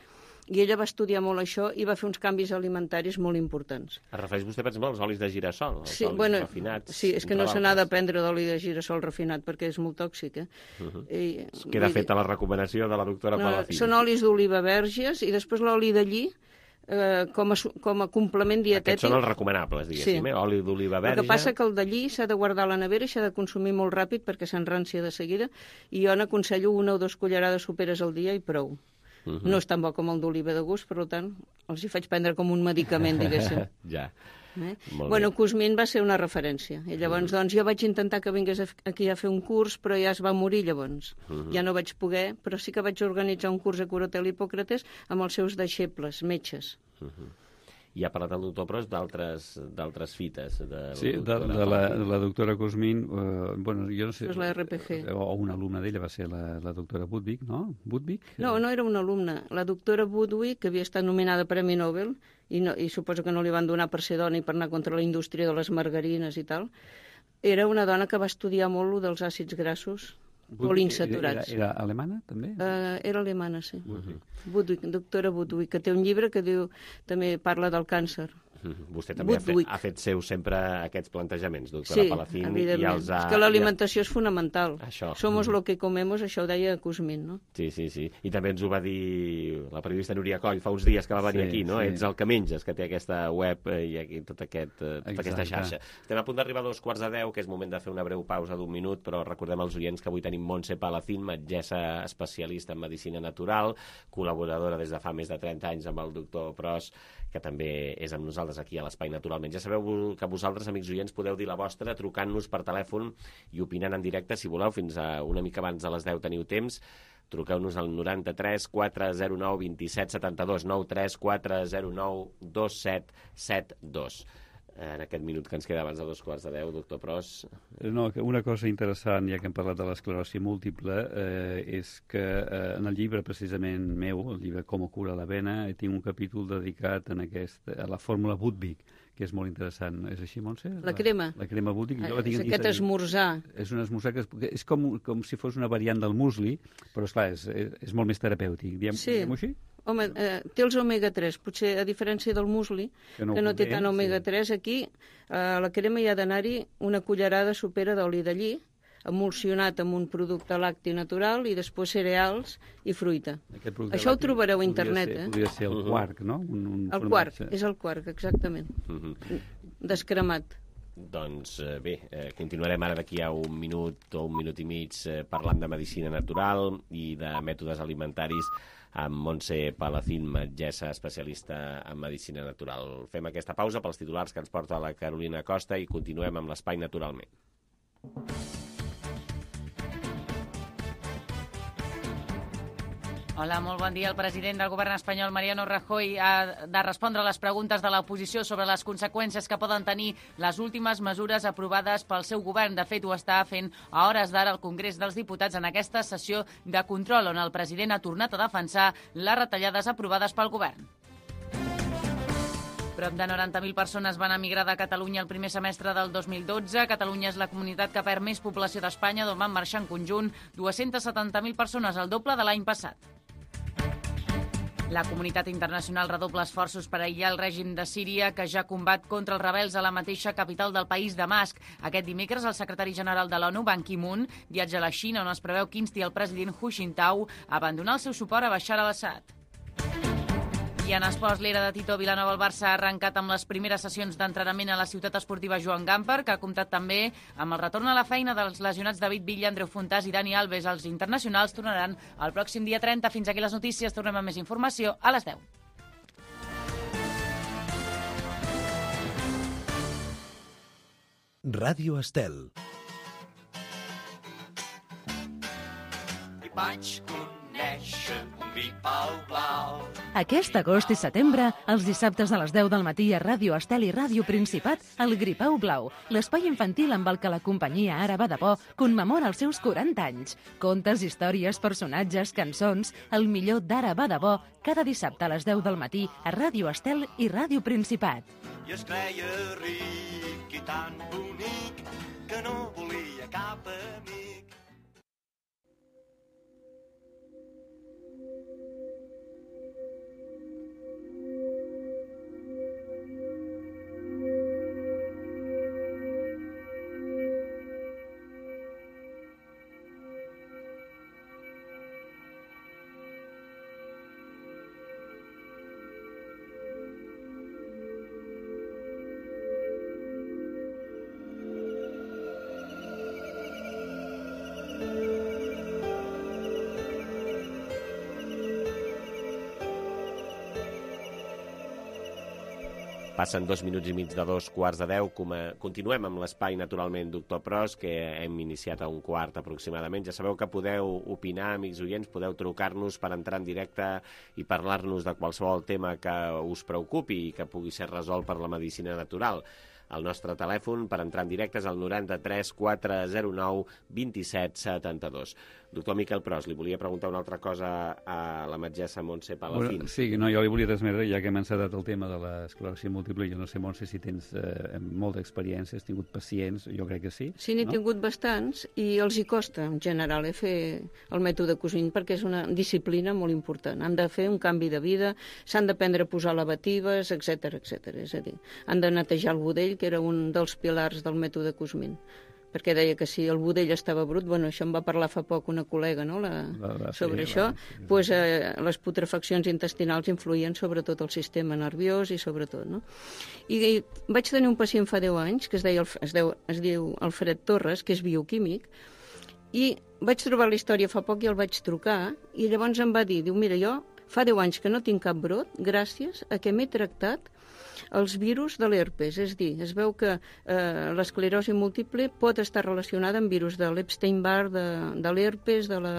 Speaker 10: i ella va estudiar molt això i va fer uns canvis alimentaris molt importants.
Speaker 1: Es refereix vostè, per exemple, als olis de girassol, els
Speaker 10: sí,
Speaker 1: olis
Speaker 10: bueno,
Speaker 1: refinats?
Speaker 10: Sí, és que no se n'ha de prendre d'oli de girassol refinat perquè és molt tòxic. Eh? Uh-huh. I,
Speaker 1: Queda feta la recomanació de la doctora no, Palacín.
Speaker 10: Són olis d'oliva verges i després l'oli de lli eh, com, a, com a complement dietètic.
Speaker 1: Aquests són els recomanables, diguéssim, sí. eh? Oli d'oliva verge.
Speaker 10: El que passa que el de lli s'ha de guardar a la nevera i s'ha de consumir molt ràpid perquè s'enrància de seguida, i jo n'aconsello una o dues cullerades soperes al dia i prou. Uh -huh. No és tan bo com el d'oliva de gust, per tant, els hi faig prendre com un medicament, diguéssim.
Speaker 1: Ja.
Speaker 10: Eh? Bueno, Kosmin va ser una referència. I llavors, uh -huh. doncs, jo vaig intentar que vingués aquí a fer un curs, però ja es va morir, llavors. Uh -huh. Ja no vaig poder, però sí que vaig organitzar un curs a Corotel Hipòcrates amb els seus deixebles, metges. Uh -huh.
Speaker 1: I ha parlat el doctor Pros d'altres fites. De
Speaker 9: sí, de, de, la, de la doctora Cosmin, eh, bueno, jo no sé...
Speaker 10: És la R P G.
Speaker 9: O una alumna d'ella va ser la, la doctora Budwig, no? Budwig?
Speaker 10: No, no era una alumna. La doctora Budwig, que havia estat nominada Premi Nobel, i, no, i suposo que no li van donar per ser dona i per anar contra la indústria de les margarines i tal, era una dona que va estudiar molt lo dels àcids grassos, poliinsaturats.
Speaker 9: Era, era alemana, també?
Speaker 10: Uh, era alemana, sí.
Speaker 9: Budwig.
Speaker 10: Budwig, doctora Budwig, que té un llibre que diu, també parla del càncer.
Speaker 1: Vostè també ha fet, ha fet seu sempre aquests plantejaments, doctora
Speaker 10: sí,
Speaker 1: Palacín.
Speaker 10: Evidentment.
Speaker 1: I els ha...
Speaker 10: És que l'alimentació és fonamental.
Speaker 1: Això.
Speaker 10: Somos lo que comemos, això ho deia Kosmin, no?
Speaker 1: Sí, sí, sí. I també ens ho va dir la periodista Núria Coll fa uns dies que va venir sí, aquí, no? Sí. Ets el que menges, que té aquesta web i aquí tot aquest, tota aquesta xarxa. Estem a punt d'arribar a dos quarts de deu, que és moment de fer una breu pausa d'un minut, però recordem als oients que avui tenim Montse Palacín, metgessa especialista en medicina natural, col·laboradora des de fa més de trenta anys amb el doctor Pros, que també és amb nosaltres aquí a l'Espai Naturalment. Ja sabeu que vosaltres, amics oients, podeu dir la vostra trucant-nos per telèfon i opinant en directe, si voleu, fins a una mica abans de les deu teniu temps. Truqueu-nos al noranta-tres quatre zero nou vint set setanta dos, nou tres quatre zero nou dos set set dos. en aquest minut que ens queda abans de dos quarts de deu, doctor Pros.
Speaker 9: No, una cosa interessant, ja que hem parlat de l'esclerosi múltiple, eh, és que eh, en el llibre precisament meu, el llibre Com cura la vena, tinc un capítol dedicat en aquest, a la fórmula Budwig, que és molt interessant. És així, Montse?
Speaker 10: La crema.
Speaker 9: La, la crema Budwig.
Speaker 10: Ah, és aquest esmorzar.
Speaker 9: És un esmorzar que és, és com, com si fos una variant del musli, però esclar, és, és, és molt més terapèutic. Diem,
Speaker 10: sí.
Speaker 9: Diem-ho així?
Speaker 10: Home, eh, té els omega tres, potser a diferència del musli, que no, que no té tant omega tres, sí. Aquí a la crema hi ha d'anar-hi una cullerada supera d'oli de lli, emulsionat amb un producte lacti natural i després cereals i fruita. Això ho trobareu a internet.
Speaker 9: Ser,
Speaker 10: eh?
Speaker 9: Podria ser el quark, no? Un, un
Speaker 10: el quark, és el quark, exactament. Uh -huh. Descremat.
Speaker 1: Doncs eh, bé, eh, continuarem ara d'aquí a un minut o un minut i mig eh, parlant de medicina natural i de mètodes alimentaris amb Montse Palacín, metgessa especialista en medicina natural. Fem aquesta pausa pels titulars que ens porta la Carolina Costa i continuem amb l'Espai Naturalment.
Speaker 2: Hola, molt bon dia. El president del govern espanyol, Mariano Rajoy, ha de respondre a les preguntes de l'oposició sobre les conseqüències que poden tenir les últimes mesures aprovades pel seu govern. De fet, ho està fent a hores d'ara al Congrés dels Diputats en aquesta sessió de control, on el president ha tornat a defensar les retallades aprovades pel govern. Prop de noranta mil persones van emigrar de Catalunya el primer semestre del dos mil dotze. Catalunya és la comunitat que perd més població d'Espanya, d'on van marxar en conjunt dues-centes setanta mil persones, el doble de l'any passat. La comunitat internacional redobla esforços per aïllar el règim de Síria, que ja combat contra els rebels a la mateixa capital del país, Damasc. Aquest dimecres, el secretari general de l'ONU, Ban Ki-moon, viatja a la Xina, on es preveu que insti el president Hu Jintao a abandonar el seu suport a Bashar al-Assad. I en esports, l'era de Tito Vilanova, el Barça ha arrencat amb les primeres sessions d'entrenament a la ciutat esportiva Joan Gamper, que ha comptat també amb el retorn a la feina dels lesionats David Villa, Andreu Fontàs i Dani Alves. Els internacionals tornaran el pròxim dia trenta. Fins aquí les notícies. Tornem amb més informació a les deu.
Speaker 11: Ràdio Estel.
Speaker 12: I vaig conèixer un gripau blau.
Speaker 3: Aquest agost i setembre, els dissabtes a les deu del matí a Ràdio Estel i Ràdio Principat, el Gripau Blau, l'espai infantil amb el que la companyia Ara va de bo commemora els seus quaranta anys. Contes, històries, personatges, cançons, el millor d'Ara va de bo, cada dissabte a les deu del matí a Ràdio Estel i Ràdio Principat.
Speaker 12: I es creia ric i tan bonic que no volia cap amic.
Speaker 1: Passen dos minuts i mig de dos quarts de deu. Continuem amb l'espai, naturalment, doctor Pros, que hem iniciat a un quart aproximadament. Ja sabeu que podeu opinar, amics oients, podeu trucar-nos per entrar en directe i parlar-nos de qualsevol tema que us preocupi i que pugui ser resolt per la medicina natural. El nostre telèfon per entrar en directe és el noranta-tres quatre zero nou vint-i-set setanta-dos. Doctor Miquel Pros, li volia preguntar una altra cosa a la metgessa Montse Palacín.
Speaker 9: Bueno, sí, no, jo li volia transmetre, ja que hem encetat el tema de l'esclerosi múltiple, jo no sé, Montse, si tens eh, molta experiència, has tingut pacients, jo crec que sí.
Speaker 10: Sí, n'he no? tingut bastants i els hi costa, en general, eh, fer el mètode Cosmin, perquè és una disciplina molt important. Han de fer un canvi de vida, s'han d'aprendre a posar lavatives, etcètera, etcètera. És a dir, han de netejar el budell, que era un dels pilars del mètode Cosmin, perquè deia que si el budell estava brut, bueno, això em va parlar fa poc una col·lega, no?, la, la, la, sobre sí, això, la, sí, pues, eh, les putrefaccions intestinals influïen sobre tot el sistema nerviós i sobre tot, no? I, i vaig tenir un pacient fa deu anys, que es, deia, es, deu, es diu Alfred Torres, que és bioquímic, i vaig trobar la història fa poc i el vaig trucar, i llavors em va dir, diu, mira, jo fa deu anys que no tinc cap brot gràcies a que m'he tractat els virus de l'herpes. És a dir, es veu que eh, l'esclerosi múltiple pot estar relacionada amb virus de l'Epstein-Barr, de, de l'herpes, de la,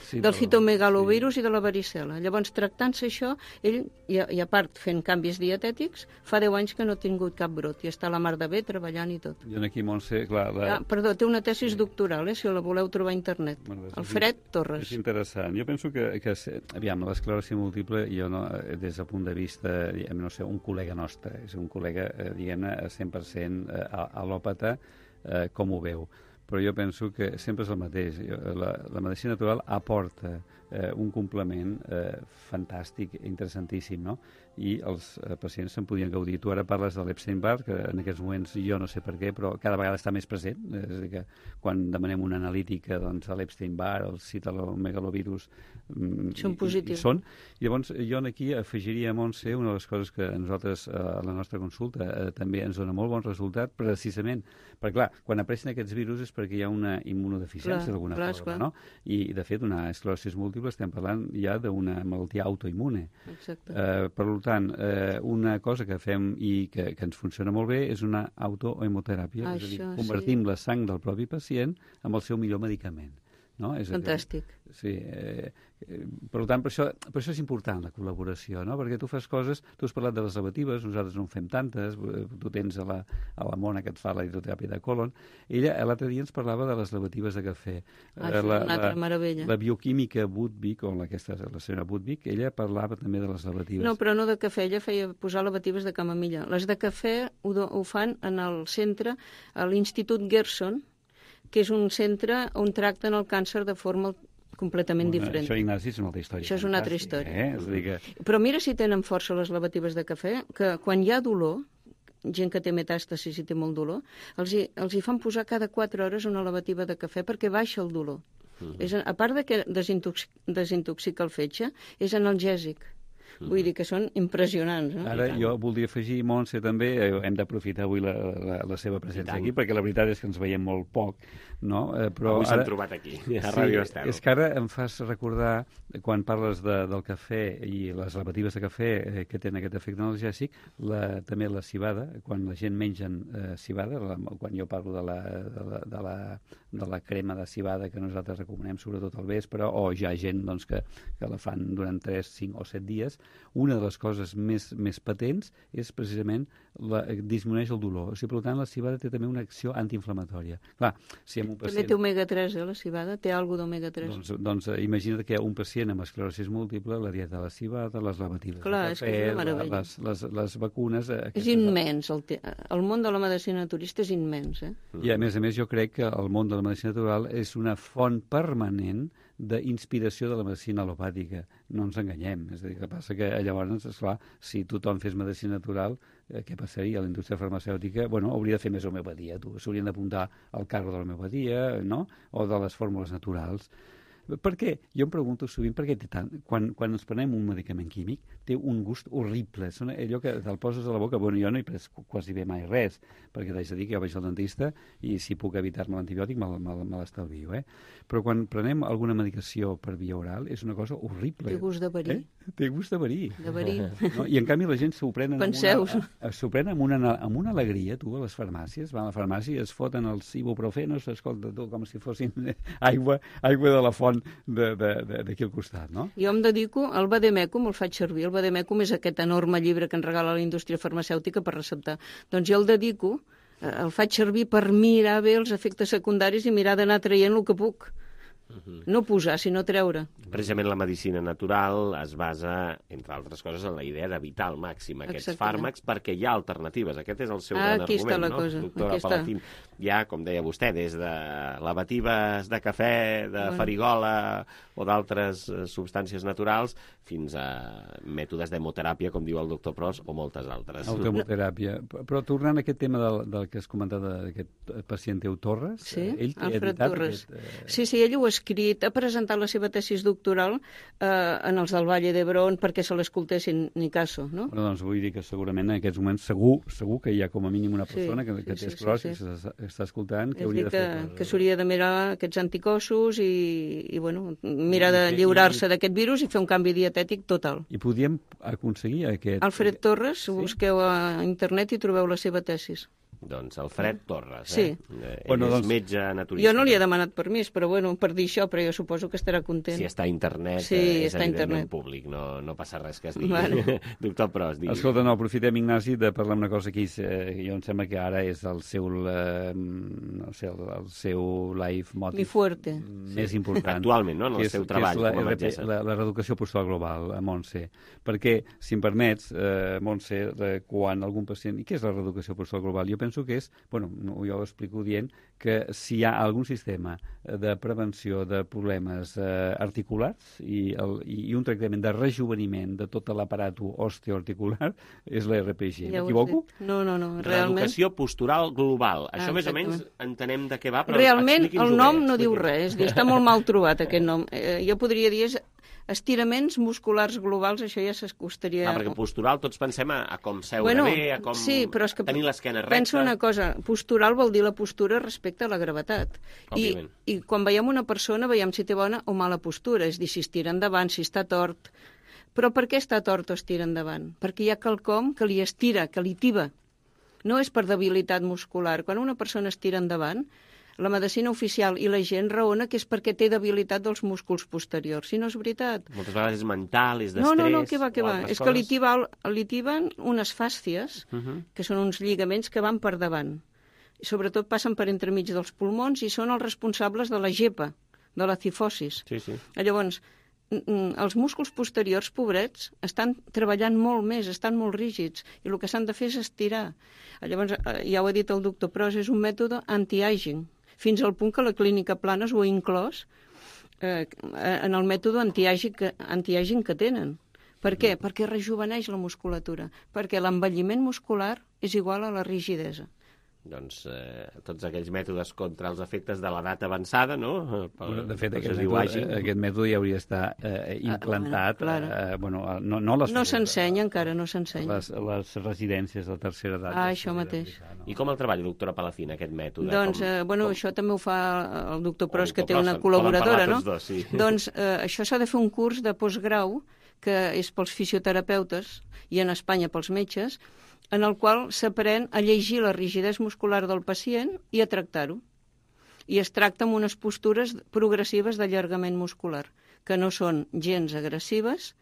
Speaker 10: sí, del citomegalovirus sí. i de la varicel·la. Llavors, tractant-se això, ell, i a, i a part fent canvis dietètics, fa deu anys que no ha tingut cap brot i està a la mar de bé treballant i tot.
Speaker 9: I aquí, Montse, clar... La...
Speaker 10: Ah, perdó, té una tesis doctoral, eh, si la voleu trobar a internet.
Speaker 9: Bueno,
Speaker 10: Alfred Torres.
Speaker 9: És interessant. Jo penso que, que aviam, l'esclerosi múltiple, jo no, des del punt de vista, no sé, un col·lega nostre, és un col·lega, eh, diguem-ne, cent per cent al·lòpata, eh, com ho veu. Però jo penso que sempre és el mateix. La, la medicina natural aporta eh, un complement eh, fantàstic, interessantíssim, no? I els eh, pacients se'n podien gaudir. Tu ara parles de l'Epstein-Barr, que en aquests moments jo no sé per què, però cada vegada està més present. És a dir, que quan demanem una analítica, doncs l'Epstein-Barr, el citomegalovirus mm,
Speaker 10: són positius.
Speaker 9: I, i són. I llavors jo aquí afegiria, Montse, una de les coses que a nosaltres, a la nostra consulta, eh, també ens dona molt bon resultat, precisament, perquè clar, quan apareixen aquests virus és perquè hi ha una immunodeficiència d'alguna forma, no? I, de fet, una esclerosi múltiple estem parlant ja d'una malaltia autoimmune.
Speaker 10: Exacte.
Speaker 9: Eh, per tant, eh, una cosa que fem i que, que ens funciona molt bé és una autohemoteràpia, és a dir, convertim sí. la sang del propi pacient amb el seu millor medicament. No? És
Speaker 10: Fantàstic.
Speaker 9: Dir, sí, eh, eh, per tant, per això, per això és important la col·laboració, no? Perquè tu fas coses, tu has parlat de les lavatives, nosaltres no en fem tantes, tu tens a la, a la Mona que et fa la hidroteràpia de colon. Ella l'altre dia ens parlava de les lavatives de cafè.
Speaker 10: Ah, eh, la, una altra
Speaker 9: la,
Speaker 10: meravella.
Speaker 9: La bioquímica Budvig, o la, aquesta, la senyora Budvig, ella parlava també de les lavatives.
Speaker 10: No, però no de cafè, ella feia posar lavatives de camamilla. Les de cafè ho, ho fan en el centre, a l'Institut Gerson, que és un centre on tracten el càncer de forma completament
Speaker 9: bueno,
Speaker 10: diferent.
Speaker 9: Això, Ignasi, és una altra història.
Speaker 10: Això és una altra història.
Speaker 9: Eh? És a dir que...
Speaker 10: Però mira si tenen força les lavatives de cafè, que quan hi ha dolor, gent que té metàstasis i té molt dolor, els hi, els hi fan posar cada quatre hores una lavativa de cafè perquè baixa el dolor. Uh-huh. És, a part de que desintoxic, desintoxica el fetge, és analgèsic. Vull dir que són impressionants. No?
Speaker 9: Ara jo voldria afegir, Montse, també, eh, hem d'aprofitar avui la, la, la seva presència aquí, perquè la veritat és que ens veiem molt poc, no? Eh, però
Speaker 1: avui s'han
Speaker 9: ara...
Speaker 1: trobat aquí, a
Speaker 9: sí,
Speaker 1: Ràdio Estel.
Speaker 9: És que ara em fas recordar, quan parles de, del cafè i les lavatives de cafè eh, que tenen aquest efecte analgèsic, la, també la cibada, quan la gent mengen eh, cibada, la, quan jo parlo de la, de, la, de, la, de la crema de cibada que nosaltres recomanem sobretot al vespre, o hi ha gent doncs, que, que la fan durant tres, cinc o set dies, una de les coses més, més patents és precisament la, disminueix el dolor. O sigui, per tant, la cibada té també una acció antiinflamatòria. Clar, si un pacient...
Speaker 10: També té omega tres, eh, la cibada? Té alguna d'omega tres?
Speaker 9: Doncs, doncs imagina't que un pacient amb esclerosi múltiple, la dieta de la cibada, les lavatives,
Speaker 10: clar,
Speaker 9: el cafè,
Speaker 10: és que és una meravella.
Speaker 9: les, les, les vacunes...
Speaker 10: És immens. El, te... el món de la medicina naturista és immens. Eh?
Speaker 9: I a més a més jo crec que el món de la medicina natural és una font permanent d'inspiració de la medicina al·lopàtica. No ens enganyem. És a dir, que passa que llavors, esclar, si tothom fes medicina natural, eh, què passaria? La indústria farmacèutica, bueno, hauria de fer més homeopatia, tu. S'haurien d'apuntar al carro de l'homeopatia, no? O de les fórmules naturals. Per què? Jo em pregunto sovint per què té tant... Quan, quan ens prenem un medicament químic, té un gust horrible. És allò que te'l poses a la boca... Bueno, jo no he pres quasi bé mai res, perquè t'haig de dir que jo vaig al dentista i si puc evitar-me l'antibiòtic me, me, me l'estalvio, eh? Però quan prenem alguna medicació per via oral és una cosa horrible.
Speaker 10: Té gust de verí.
Speaker 9: Eh? Té gust de verí.
Speaker 10: De verí.
Speaker 9: No? I en canvi la gent s'ho prenen amb
Speaker 10: una,
Speaker 9: s'ho prenen amb una, amb una alegria, tu, a les farmàcies. Van a la farmàcia i es foten els ibuprofenos, escolta, tu, com si fossin aigua, aigua de la font d'aquí al costat, no?
Speaker 10: Jo em dedico al vademecum, el faig servir. El vademecum és aquest enorme llibre que ens regala la indústria farmacèutica per receptar. Doncs jo el dedico, el faig servir per mirar bé els efectes secundaris i mirar d'anar traient el que puc. Uh-huh. No posar, sinó treure.
Speaker 1: Precisament la medicina natural es basa, entre altres coses, en la idea d'evitar al màxim aquests Exactament. fàrmacs perquè hi ha alternatives. Aquest és el seu
Speaker 10: ah,
Speaker 1: gran
Speaker 10: aquí
Speaker 1: argument,
Speaker 10: està la
Speaker 1: no?
Speaker 10: cosa.
Speaker 1: Doctora
Speaker 10: Aquí
Speaker 1: Palacín. Hi ha, com deia vostè, des de lavatives de cafè, de bueno. farigola o d'altres substàncies naturals fins a mètodes d'hemoteràpia, com diu el doctor Pros, o moltes altres.
Speaker 9: Autohemoteràpia. Però tornant a aquest tema del, del que has comentat d'aquest pacient teu Torres,
Speaker 10: sí?
Speaker 9: ell té
Speaker 10: Alfred
Speaker 9: editat
Speaker 10: Torres.
Speaker 9: Aquest, eh...
Speaker 10: Sí, sí, ell ho ha escrit, ha presentat la seva tesis doctoral eh, en els del Valle d'Hebron perquè se l'escoltessin, ni caso, no?
Speaker 9: Però doncs vull dir que segurament en aquests moments segur, segur que hi ha com a mínim una persona sí, que, que sí, té esclerosi, sí, sí, sí. que està escoltant, que
Speaker 10: és
Speaker 9: hauria de
Speaker 10: que,
Speaker 9: fer...
Speaker 10: que s'hauria de mirar aquests anticossos i, i bueno, mirar de lliurar-se d'aquest virus i fer un canvi dietètic total.
Speaker 9: I podíem aconseguir aquest...
Speaker 10: Alfred Torres, sí? Busqueu a internet i trobeu la seva tesis.
Speaker 1: Doncs Alfred Torres,
Speaker 10: sí.
Speaker 1: eh? Ell
Speaker 9: bueno, doncs,
Speaker 1: és metge naturista.
Speaker 10: Jo no li he demanat permís, però bueno, per dir això, però jo suposo que estarà content.
Speaker 1: Si està a internet,
Speaker 10: sí,
Speaker 1: és
Speaker 10: està
Speaker 1: evidentment
Speaker 10: internet.
Speaker 1: Públic, no, no passa res que es digui.
Speaker 10: Vale.
Speaker 1: Doctor Pros, digui.
Speaker 9: Escolta, no, aprofitem, Ignasi, de parlar una cosa que eh, jo em sembla que ara és el seu, eh, no sé, el, el seu life motive.
Speaker 10: Mi fuerte.
Speaker 9: Més
Speaker 1: sí.
Speaker 9: important.
Speaker 1: Actualment, no?, en el
Speaker 9: és,
Speaker 1: seu treball
Speaker 9: la,
Speaker 1: com a metgessa.
Speaker 9: La, la reeducació postural global, a Montse. Perquè, si em permets, eh, Montse, eh, quan algun pacient... I què és la reeducació postural global? Jo penso que és... Bueno, no, jo ho explico dient que si hi ha algun sistema de prevenció de problemes eh, articulars i, el, i un tractament de rejuveniment de tot l'aparat osteoarticular és l'R P G.
Speaker 10: Ja
Speaker 9: m'equivoco?
Speaker 10: No, no, no, realment...
Speaker 1: Reeducació postural global. Això
Speaker 10: ah,
Speaker 1: més o menys entenem de què va, però
Speaker 10: realment el nom
Speaker 1: bé,
Speaker 10: no diu res, és dir, està molt mal trobat aquest nom. Eh, jo podria dir és estiraments musculars globals, això ja s'acostaria...
Speaker 1: Ah, perquè postural tots pensem a, a com seure
Speaker 10: bueno,
Speaker 1: bé, a com
Speaker 10: sí, però és que
Speaker 1: tenir l'esquena recta...
Speaker 10: Pensa una cosa, postural vol dir la postura respecte a la gravetat. I, I quan veiem una persona veiem si té bona o mala postura, és dir, si es tira endavant, si està tort. Però per què està tort o es tira endavant? Perquè hi ha quelcom que li estira, que li tiba. No és per debilitat muscular. Quan una persona es tira endavant, la medicina oficial i la gent raona que és perquè té debilitat dels músculs posteriors. Si no és veritat.
Speaker 1: Moltes vegades és mental, és d'estrès...
Speaker 10: No, no, no, què va, què va. És
Speaker 1: coses.
Speaker 10: que li, tiba, li tiben unes fàscies, uh -huh. que són uns lligaments que van per davant. I sobretot passen per entremig dels pulmons i són els responsables de la gepa, de la cifosis.
Speaker 1: Sí, sí.
Speaker 10: Llavors, els músculs posteriors, pobrets, estan treballant molt més, estan molt rígids, i el que s'han de fer és estirar. Llavors, ja ho ha dit el doctor Pros, és un mètode anti-aging, fins al punt que la clínica Planes ho ha inclòs eh, en el mètode anti-aging que, anti-aging que tenen. Per què? Perquè rejuveneix la musculatura, perquè l'envelliment muscular és igual a la rigidesa.
Speaker 1: Doncs eh, tots aquells mètodes contra els efectes de l'edat avançada, no?
Speaker 9: Pel, de fet, aquest mètode, aquest mètode ja hauria d'estar eh, implantat.
Speaker 10: Ah,
Speaker 9: eh, bueno, no, no, les,
Speaker 10: no s'ensenya encara, no s'ensenya.
Speaker 9: Les, les residències de tercera edat.
Speaker 10: Ah, això mateix.
Speaker 1: No? I com el treballa, doctora Palacín, aquest mètode?
Speaker 10: Doncs,
Speaker 1: com,
Speaker 10: eh, bueno,
Speaker 1: com...
Speaker 10: això també ho fa el doctor Pros, que té
Speaker 1: Pros,
Speaker 10: una col·laboradora, no?
Speaker 1: Dos, sí.
Speaker 10: Doncs eh, això s'ha de fer un curs de postgrau, que és pels fisioterapeutes i en Espanya pels metges, en el qual s'aprèn a llegir la rigidesa muscular del pacient i a tractar-ho. I es tracta amb unes postures progressives d'allargament muscular, que no són gens agressives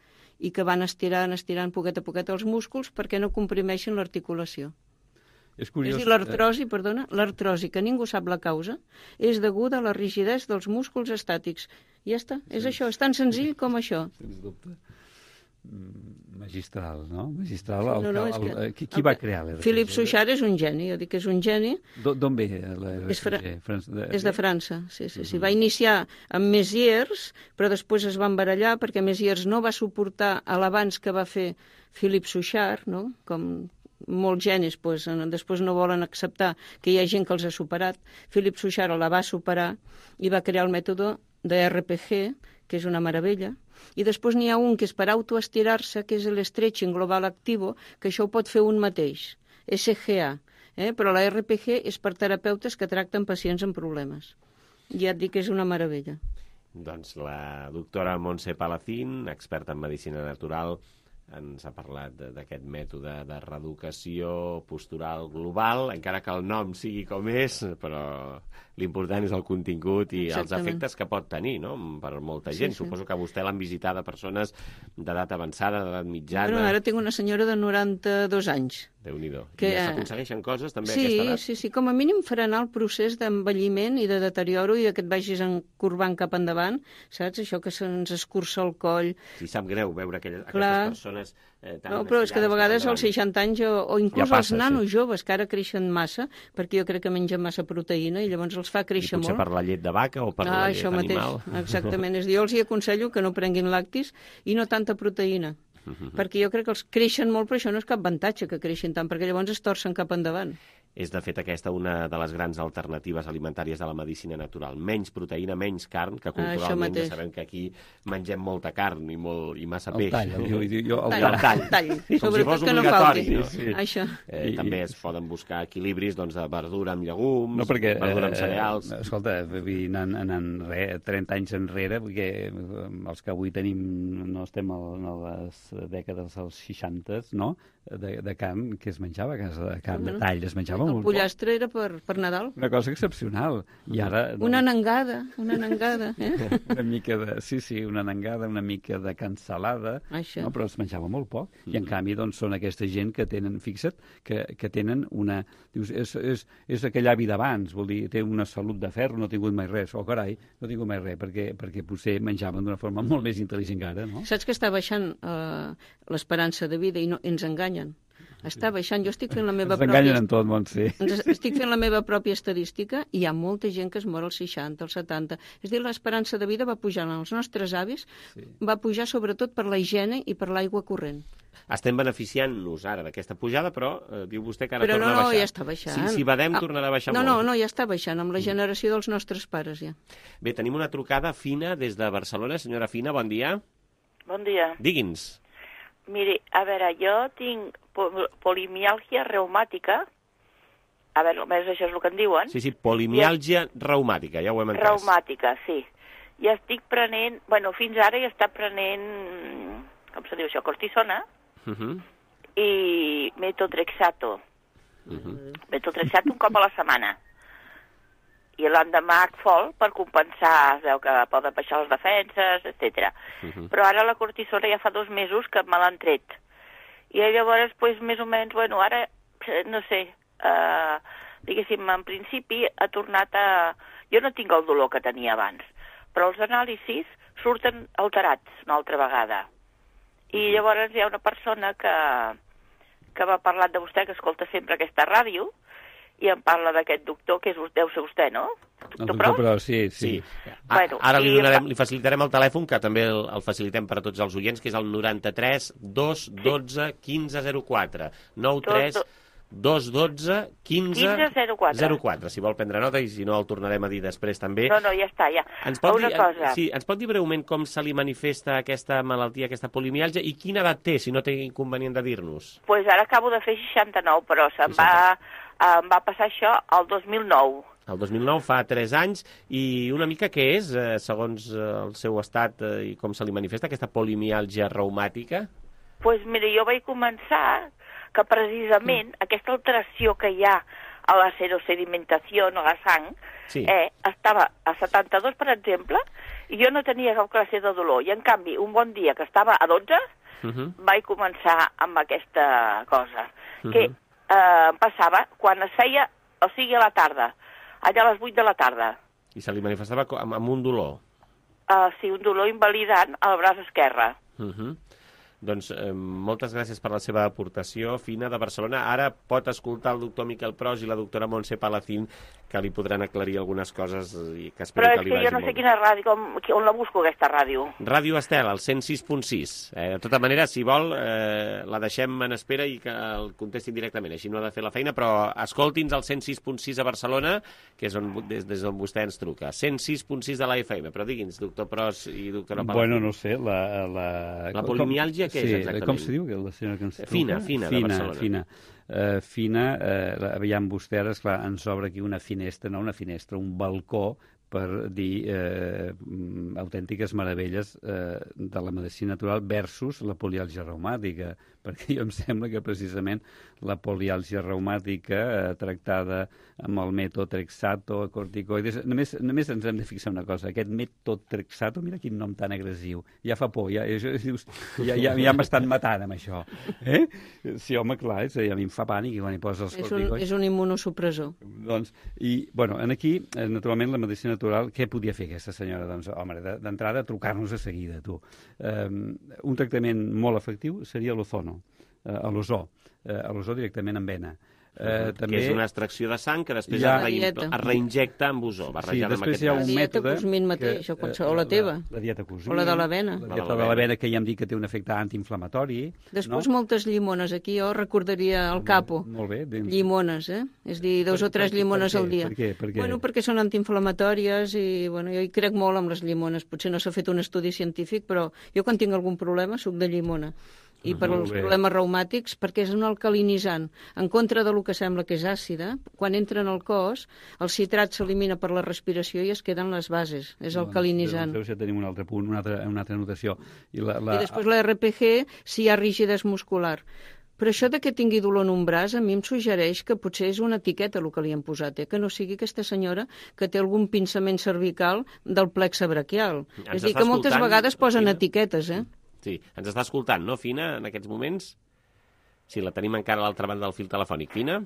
Speaker 10: i que van estirant, estirant poquet a poquet els músculs perquè no comprimeixin l'articulació.
Speaker 9: És curiós.
Speaker 10: És dir, l'artrosi, perdona, l'artrosi, que ningú sap la causa, és deguda a la rigidesa dels músculs estàtics. I ja està, és sí. Això, és tan senzill com això.
Speaker 9: Sens dubte. Magistral, no? Magistral. El,
Speaker 10: no, no,
Speaker 9: el, el, el, qui, qui
Speaker 10: el,
Speaker 9: va crear l'R P G?
Speaker 10: Philippe Souchard és un geni, jo dic que és un geni.
Speaker 9: D'on ve l'R P G?
Speaker 10: És, fra
Speaker 9: Frans de...
Speaker 10: és de França, sí, sí, sí. Uh -huh. Va iniciar amb Mézières, però després es van barallar perquè Mézières no va suportar l'abans que va fer Philippe Souchard, no? Com molts genis pues, després no volen acceptar que hi ha gent que els ha superat. Philippe Souchard la va superar i va crear el mètode de R P G, que és una meravella. I després n'hi ha un que és per autoestirar-se, que és l'stretching global activo, que això ho pot fer un mateix, S G A. Eh? Però la R P G és per terapeutes que tracten pacients amb problemes. Ja et dic que és una meravella.
Speaker 1: Doncs la doctora Montse Palacín, experta en medicina natural, ens ha parlat d'aquest mètode de reeducació postural global, encara que el nom sigui com és, però l'important és el contingut i Exactament. Els efectes que pot tenir, no?, per molta gent. Sí, sí. Suposo que vostè l'han visitat a persones d'edat avançada, d'edat mitjana...
Speaker 10: Bueno, ara tinc una senyora de noranta-dos anys.
Speaker 1: Déu-n'hi-do.
Speaker 10: Que...
Speaker 1: I ja s'aconsegueixen coses també
Speaker 10: sí,
Speaker 1: a aquesta edat?
Speaker 10: Sí, sí, com a mínim frenar el procés d'envelliment i de deterioro i que et vagis encorbant cap endavant, saps? Això que se'ns escurça el coll.
Speaker 1: Sí, sap greu veure aquelles,
Speaker 10: Clar.
Speaker 1: aquestes persones eh, tan...
Speaker 10: No, però és que de vegades als seixanta anys o, o inclús
Speaker 1: ja passa,
Speaker 10: els nanos
Speaker 1: sí.
Speaker 10: joves, que ara creixen massa, perquè jo crec que mengen massa proteïna i llavors els fa créixer
Speaker 1: I potser
Speaker 10: molt.
Speaker 1: per la llet de vaca o per
Speaker 10: ah,
Speaker 1: la llet
Speaker 10: això
Speaker 1: animal.
Speaker 10: Mateix. Exactament. És dir, jo els hi aconsello que no prenguin lactis i no tanta proteïna. Uh-huh. Perquè jo crec que els creixen molt, però això no és cap avantatge que creixin tant, perquè llavors es torcen cap endavant.
Speaker 1: és de fet aquesta una de les grans alternatives alimentàries de la medicina natural. Menys proteïna, menys carn, que culturalment ja sabem que aquí mengem molta carn i, molt, i massa peix.
Speaker 9: El tall, el, jo, jo, el,
Speaker 10: tall, el tall. tall.
Speaker 1: Sí, com si fos
Speaker 10: que
Speaker 1: obligatori.
Speaker 10: No
Speaker 1: no?
Speaker 10: Sí. Això.
Speaker 1: Eh, també es poden buscar equilibris doncs, de verdura amb llegums,
Speaker 9: no, perquè,
Speaker 1: verdura amb cereals...
Speaker 9: Eh, escolta, anant, anant re, trenta anys enrere, perquè els que avui tenim, no estem a les dècades dels seixanta, no?, de, de carn que es menjava a casa, de carn de tall, es menjava
Speaker 10: el
Speaker 9: molt
Speaker 10: pollastre era per, per Nadal.
Speaker 9: Una cosa excepcional. I ara, no.
Speaker 10: Una nangada, una nangada. Eh?
Speaker 9: una mica de, sí, sí, una nangada, una mica de cansalada, no? Però es menjava molt poc. Mm. I en canvi doncs, són aquesta gent que tenen, fixa't, que, que tenen una... Dius, és, és, és aquell avi d'abans, vol dir, té una salut de ferro, no ha tingut mai res. Oh, carai, no ha tingut mai res, perquè, perquè potser menjaven d'una forma molt més intel·ligent que ara, no?
Speaker 10: Saps que està baixant eh, l'esperança de vida i no, ens enganyen. Està baixant. Jo estic fent la meva pròpia...
Speaker 9: Ens en tot món, sí.
Speaker 10: Estic fent la meva pròpia estadística i hi ha molta gent que es mor als seixanta, als setanta. És a dir, l'esperança de vida va pujant als nostres avis, sí. Va pujar sobretot per la higiene i per l'aigua corrent.
Speaker 1: Estem beneficiant-nos ara d'aquesta pujada, però eh, diu vostè que ara
Speaker 10: però
Speaker 1: torna
Speaker 10: no,
Speaker 1: a baixar.
Speaker 10: Però no, ja està baixant.
Speaker 1: Si, si badem, tornarà a baixar
Speaker 10: no,
Speaker 1: molt.
Speaker 10: No, no, ja està baixant, amb la generació dels nostres pares, ja.
Speaker 1: Bé, tenim una trucada fina des de Barcelona. Senyora Fina, bon dia.
Speaker 11: Bon dia.
Speaker 1: Digui'ns.
Speaker 11: Miri, a veure, jo tinc polimiàlgia reumàtica. A veure, almenys això és el que en diuen.
Speaker 1: Sí, sí, polimiàlgia I... reumàtica, ja ho hem entès.
Speaker 11: Reumàtica, sí. I estic prenent, bueno, fins ara he estat prenent, com se diu això, cortisona, uh -huh. i metotrexato. Uh -huh. Metotrexato un cop a la setmana. I l'endemà Acfol per compensar, es veu que poden baixar les defenses, etcètera. Uh -huh. Però ara la cortisona ja fa dos mesos que me l'han tret. I llavors, pues, més o menys, bueno, ara, no sé, eh, diguéssim, en principi ha tornat a... Jo no tinc el dolor que tenia abans, però els anàlisis surten alterats una altra vegada. I llavors hi ha una persona que, que m'ha parlat de vostè, que escolta sempre aquesta ràdio, i em parla d'aquest doctor, que és, deu ser vostè, no?
Speaker 9: Doctor, el doctor Pros, sí, sí.
Speaker 1: sí. Bueno, ara li, donarem, li facilitarem el telèfon, que també el, el facilitem per a tots els oients, que és el noranta-tres dos dotze quinze zero quatre. nou tres dos dotze quinze zero quatre. Si vol prendre nota, i si no el tornarem a dir després també.
Speaker 11: No, no, ja està, ja.
Speaker 1: Ens pot,
Speaker 11: una
Speaker 1: dir,
Speaker 11: cosa.
Speaker 1: Sí, ens pot dir breument com se li manifesta aquesta malaltia, aquesta polimiàlgia, i quina edat té, si no té inconvenient de dir-nos?
Speaker 11: Doncs pues ara acabo de fer seixanta-nou, però se'm va... em va passar això el dos mil nou.
Speaker 1: El dos mil nou, fa tres anys, i una mica què és, eh, segons el seu estat eh, i com se li manifesta, aquesta polimiàlgia reumàtica?
Speaker 11: Doncs pues, mira, jo vaig començar que precisament mm. aquesta alteració que hi ha a la serosedimentació, a la sang, sí. eh, estava a setanta-dos, per exemple, i jo no tenia cap classe de dolor. I, en canvi, un bon dia que estava a dotze, uh -huh. vaig començar amb aquesta cosa, uh -huh. que Eh, passava quan es feia, o sigui a la tarda, allà a les vuit de la tarda.
Speaker 1: I se li manifestava amb, amb un dolor?
Speaker 11: Uh, sí, un dolor invalidant al braç esquerre.
Speaker 1: Uh -huh. Doncs eh, moltes gràcies per la seva aportació, Fina, de Barcelona. Ara pot escoltar el doctor Miquel Pros i la doctora Montse Palacín, que li podran aclarir algunes coses i que espero
Speaker 11: Però
Speaker 1: que li vagi molt bé.
Speaker 11: Però és que jo no sé quina ràdio, com, on la busco, aquesta ràdio.
Speaker 1: Ràdio Estel, al cent sis punt sis. Eh, de tota manera, si vol, eh, la deixem en espera i que el contestin directament. Així no ha de fer la feina, però escolti'ns al cent sis punt sis a Barcelona, que és on, des, des d'on vostè ens truca. cent sis punt sis de la F M. Però digui'ns, doctor Pros i doctora Palacín.
Speaker 9: Bueno, no sé, la... La,
Speaker 1: la polimiàlgia, què
Speaker 9: sí,
Speaker 1: és exactament?
Speaker 9: Com se diu, la senyora que ens truca?
Speaker 1: Fina, Fina, de Barcelona.
Speaker 9: Fina, uh, Fina, uh, aviam vostè, ara, esclar, ens obre aquí una finestra, no una finestra, un balcó, per dir eh, autèntiques meravelles eh, de la medicina natural versus la poliàlgia reumàtica, perquè jo em sembla que precisament la poliàlgia reumàtica eh, tractada amb el metotrexato, corticoides, només, només ens hem de fixar una cosa, aquest metotrexato, mira quin nom tan agressiu, ja fa por, ja, ja, ja, ja m'estan matant amb això. Eh? Sí, home, clar, és, a mi em fa pànic quan hi posa els corticoides.
Speaker 10: És un, és un immunosupressor.
Speaker 9: Doncs, i, bueno, en aquí, eh, naturalment, la medicina natural, què podia fer aquesta senyora? Doncs, home, d'entrada, trucar-nos a seguida, tu. Um, un tractament molt efectiu seria l'ozono, uh, l'ozó. eh, a l'ozó directament en vena.
Speaker 1: Uh, també... Que és una extracció de sang que després ja... es, re... es reinjecta amb ozó, barrejant
Speaker 9: sí,
Speaker 1: amb aquest
Speaker 9: hi ha un
Speaker 10: la dieta
Speaker 9: mètode
Speaker 10: Cosmin mateix, que, o, qualsevol, o la teva.
Speaker 9: La, la dieta Cosmin.
Speaker 10: O la de l'avena.
Speaker 9: La dieta de l'avena, que ja hem dit que té un efecte antiinflamatori.
Speaker 10: Després
Speaker 9: no?
Speaker 10: moltes llimones. Aquí jo recordaria el capo.
Speaker 9: Molt bé. Ben...
Speaker 10: Llimones, eh? És dir, dos per, o tres per, llimones
Speaker 9: per
Speaker 10: al dia.
Speaker 9: Per què? Per què?
Speaker 10: Bueno, perquè són antiinflamatòries i bueno, jo hi crec molt amb les llimones. Potser no s'ha fet un estudi científic, però jo quan tinc algun problema suc de llimona. I per als problemes reumàtics, perquè és un alcalinitzant. En contra del que sembla que és àcida, quan entra en el cos, el citrat s'elimina per la respiració i es queden les bases. És alcalinitzant.
Speaker 9: Doncs ja tenim un altre punt, una altra, una altra notació.
Speaker 10: I, la, la... I després la R P G, si hi ha rigidesa muscular. Però això de que tingui dolor en un braç, a mi em suggereix que potser és una etiqueta el que li han posat, eh? Que no sigui aquesta senyora que té algun pinçament cervical del plexe braquial. Ens és dir, que moltes vegades posen etiquetes, eh?
Speaker 1: Sí, ens està escoltant, no, Fina, en aquests moments? Sí, la tenim encara a l'altra banda del fil telefònic. Fina?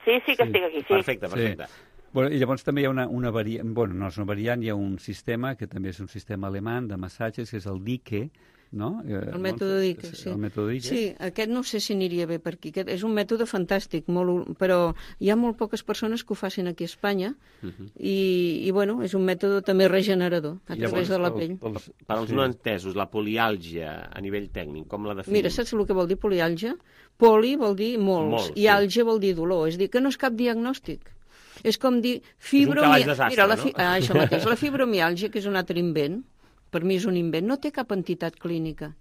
Speaker 11: Sí, sí que sí. Estic aquí, sí.
Speaker 1: Perfecte, perfecte. Sí.
Speaker 9: Bueno, i llavors també hi ha una, una variant, bueno, no és una variant, hi ha un sistema, que també és un sistema alemany de massatges, que és el Dike, no?
Speaker 10: El mètode Dike, sí.
Speaker 9: El mètode Dike.
Speaker 10: Sí, aquest no sé si aniria bé per aquí. Aquest és un mètode fantàstic, molt, però hi ha molt poques persones que ho facin aquí a Espanya uh -huh. i, i, bueno, és un mètode també regenerador a través de la pell.
Speaker 1: El, el, per als sí. no entesos, la poliàlgia a nivell tècnic, com la definim?
Speaker 10: Mira, saps el que vol dir poliàlgia? Poli vol dir molts, molts i sí. àlgia vol dir dolor. És dir, que no és cap diagnòstic. És com dir fibromiàlgia. Mira, la fi... no? ah, això mateix. La fibromiàlgia, que és un altre invent, per mi és un invent, no té cap entitat clínica.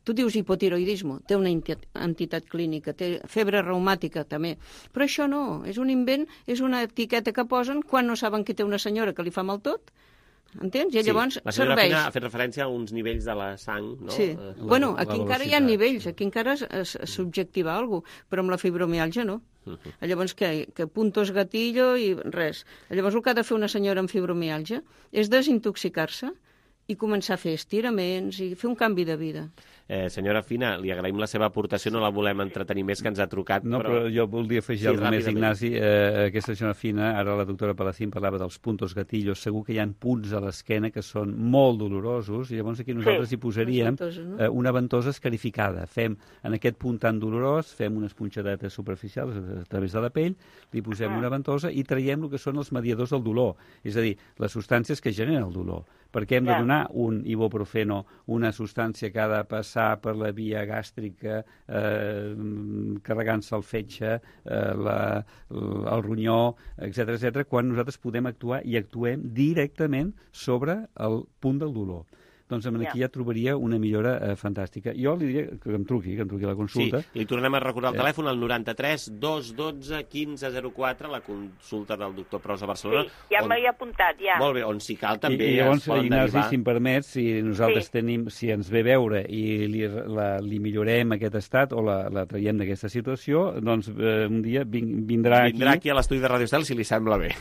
Speaker 10: Tu dius hipotiroidisme, té una entitat clínica, té febre reumàtica també, però això no, és un invent, és una etiqueta que posen quan no saben que té una senyora que li fa mal tot, entens? I llavors
Speaker 1: sí, la
Speaker 10: serveix.
Speaker 1: Fina ha fet referència a uns nivells de la sang, no?
Speaker 10: Sí,
Speaker 1: la,
Speaker 10: bueno, aquí
Speaker 1: la
Speaker 10: encara hi ha nivells, aquí encara es, es, es subjectiva alguna cosa, però amb la fibromiàlgia no. Uh -huh. Llavors, què? Que puntos gatillo i res. Llavors, el que ha de fer una senyora amb fibromiàlgia és desintoxicar-se i començar a fer estiraments i fer un canvi de vida.
Speaker 1: Eh, senyora Fina, li agraïm la seva aportació, no la volem entretenir més, que ens ha trucat.
Speaker 9: No, però, però jo voldria afegir sí, alguna més, Ignasi. Eh, aquesta senyora Fina, ara la doctora Palacín parlava dels puntos gatillos, segur que hi ha punts a l'esquena que són molt dolorosos, i llavors aquí nosaltres sí, hi posaríem ventosa, no? eh, una ventosa escarificada. Fem, en aquest punt tan dolorós, fem unes punxadetes superficials a través de la pell, li posem ah. una ventosa i traiem el que són els mediadors del dolor, és a dir, les substàncies que generen el dolor. Perquè hem de donar un ibuprofeno, una substància que ha de passar per la via gàstrica, eh, carregant-se el fetge, eh, la, el ronyó, etcètera, etcètera, quan nosaltres podem actuar i actuem directament sobre el punt del dolor. Doncs aquí ja trobaria una millora eh, fantàstica. Jo li diria que em truqui, que em truqui a la consulta.
Speaker 1: Sí, li tornem a recordar el telèfon, el noranta-tres dos dotze quinze zero quatre, la consulta del doctor Pros a Barcelona.
Speaker 11: Sí, ja on... m'hi he apuntat, ja.
Speaker 1: Molt bé, on si cal també
Speaker 9: I, i llavors,
Speaker 1: es poden
Speaker 9: Ignasi,
Speaker 1: derivar.
Speaker 9: si em permet, si nosaltres
Speaker 11: sí.
Speaker 9: tenim, si ens ve veure i li, la, li millorem aquest estat o la, la traiem d'aquesta situació, doncs eh, un dia vin, vindrà,
Speaker 1: vindrà
Speaker 9: aquí...
Speaker 1: aquí a l'estudi de Radio Estel, si li sembla bé.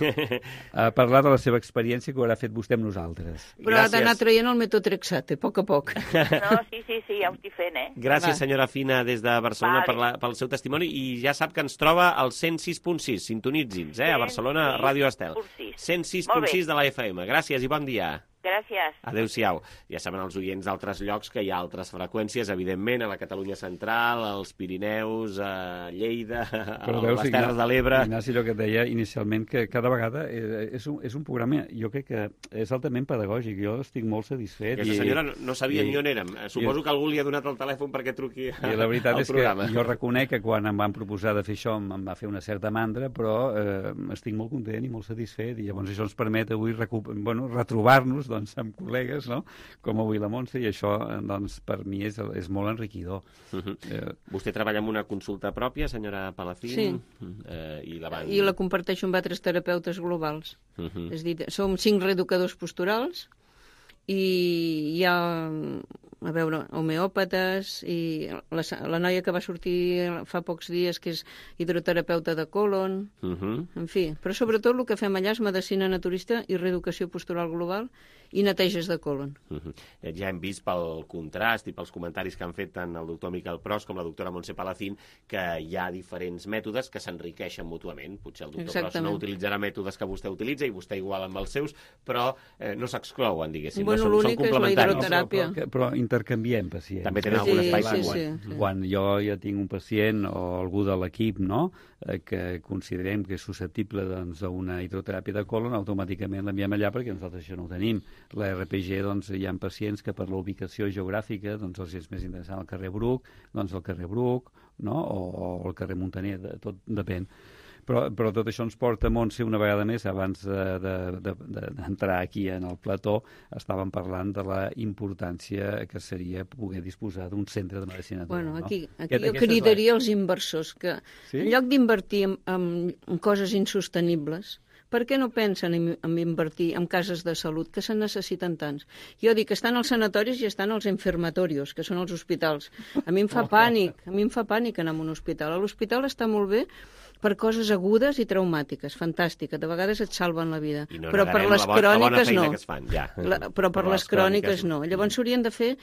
Speaker 9: A parlar de la seva experiència que ho haurà fet vostè amb nosaltres.
Speaker 10: Però Gràcies. Ha d'anar traient el metotrexat, a poc a poc.
Speaker 11: No, sí, sí, sí, ja ho estic fent, eh?
Speaker 1: Gràcies, Va. senyora Fina, des de Barcelona vale. per la, pel seu testimoni, i ja sap que ens troba al cent sis punt sis, sintonitzin-nos, eh, a Barcelona, Ràdio Estel. cent sis punt sis de la F M. Gràcies i bon dia.
Speaker 11: Gràcies.
Speaker 1: Adéu-siau. Ja saben els oients d'altres llocs que hi ha altres freqüències, evidentment, a la Catalunya Central, als Pirineus, a Lleida, a veus, les Terres de l'Ebre...
Speaker 9: Ignasi, allò que et deia inicialment, que cada vegada és un, és un programa, jo crec que és altament pedagògic, jo estic molt satisfet.
Speaker 1: Aquesta senyora no, no sabia i, ni on érem. Suposo i, que algú li ha donat el telèfon perquè truqui al programa.
Speaker 9: I la veritat és que jo reconec que quan em van proposar de fer això em va fer una certa mandra, però eh, estic molt content i molt satisfet, i llavors això ens permet avui bueno, retrobar-nos doncs, amb col·legues, no? Com avui la Montse, i això doncs, per mi és, és molt enriquidor.
Speaker 1: Uh -huh. eh, Vostè treballa en una consulta pròpia, senyora Palacín?
Speaker 10: Sí.
Speaker 1: Eh, i, la van...
Speaker 10: I la comparteixo amb altres terapeutes globals. Uh -huh. És dir, som cinc reeducadors posturals i hi ha, a veure, homeòpates i la, la noia que va sortir fa pocs dies, que és hidroterapeuta de colon, uh -huh. en fi. Però sobretot el que fem allà és medicina naturista i reeducació postural global i neteges de colon.
Speaker 1: Uh -huh. Ja hem vist pel contrast i pels comentaris que han fet tant el doctor Miquel Pros com la doctora Montse Palacín que hi ha diferents mètodes que s'enriqueixen mútuament. Potser el doctor Exactament. Pros no utilitzarà mètodes que vostè utilitza i vostè igual amb els seus, però eh, no s'exclouen, diguéssim.
Speaker 10: Bueno,
Speaker 1: no són,
Speaker 10: l'únic
Speaker 1: són
Speaker 10: és la hidroteràpia.
Speaker 9: No, però, però intercanviem pacients.
Speaker 1: També tenen algun
Speaker 10: Sí,
Speaker 1: espai
Speaker 10: sí,
Speaker 1: comú.
Speaker 10: sí.
Speaker 9: Quan, quan jo ja tinc un pacient o algú de l'equip, no?, eh, que considerem que és susceptible doncs, a una hidroteràpia de colon, automàticament l'enviem allà perquè nosaltres això no ho tenim. La R P G, doncs, hi ha pacients que per la ubicació geogràfica doncs, els és més interessant el carrer Bruc, doncs el carrer Bruc, no?, o, o el carrer Muntaner, de, tot depèn. Però, però tot això ens porta, Montse, una vegada més, abans d'entrar de, de, de, aquí en el plató, estàvem parlant de la importància que seria poder disposar d'un centre de medicina natural.
Speaker 10: Bueno, aquí,
Speaker 9: no?
Speaker 10: aquí
Speaker 9: Aquest,
Speaker 10: jo cridaria els inversors que,
Speaker 9: sí?
Speaker 10: en lloc d'invertir en, en, en coses insostenibles, per què no pensen en, en invertir en cases de salut, que se'n necessiten tants? Jo dic que estan als sanatoris i estan als enfermatorios, que són els hospitals. A mi em fa pànic, a mi em fa pànic anar a un hospital. A l'hospital està molt bé per coses agudes i traumàtiques, fantàstica, de vegades et salven la vida.
Speaker 1: No
Speaker 10: però per les
Speaker 1: la bo
Speaker 10: cròniques
Speaker 1: la
Speaker 10: no.
Speaker 1: Que es fan, ja.
Speaker 10: La, però per, per les, les cròniques, cròniques no. Llavors s'haurien de fer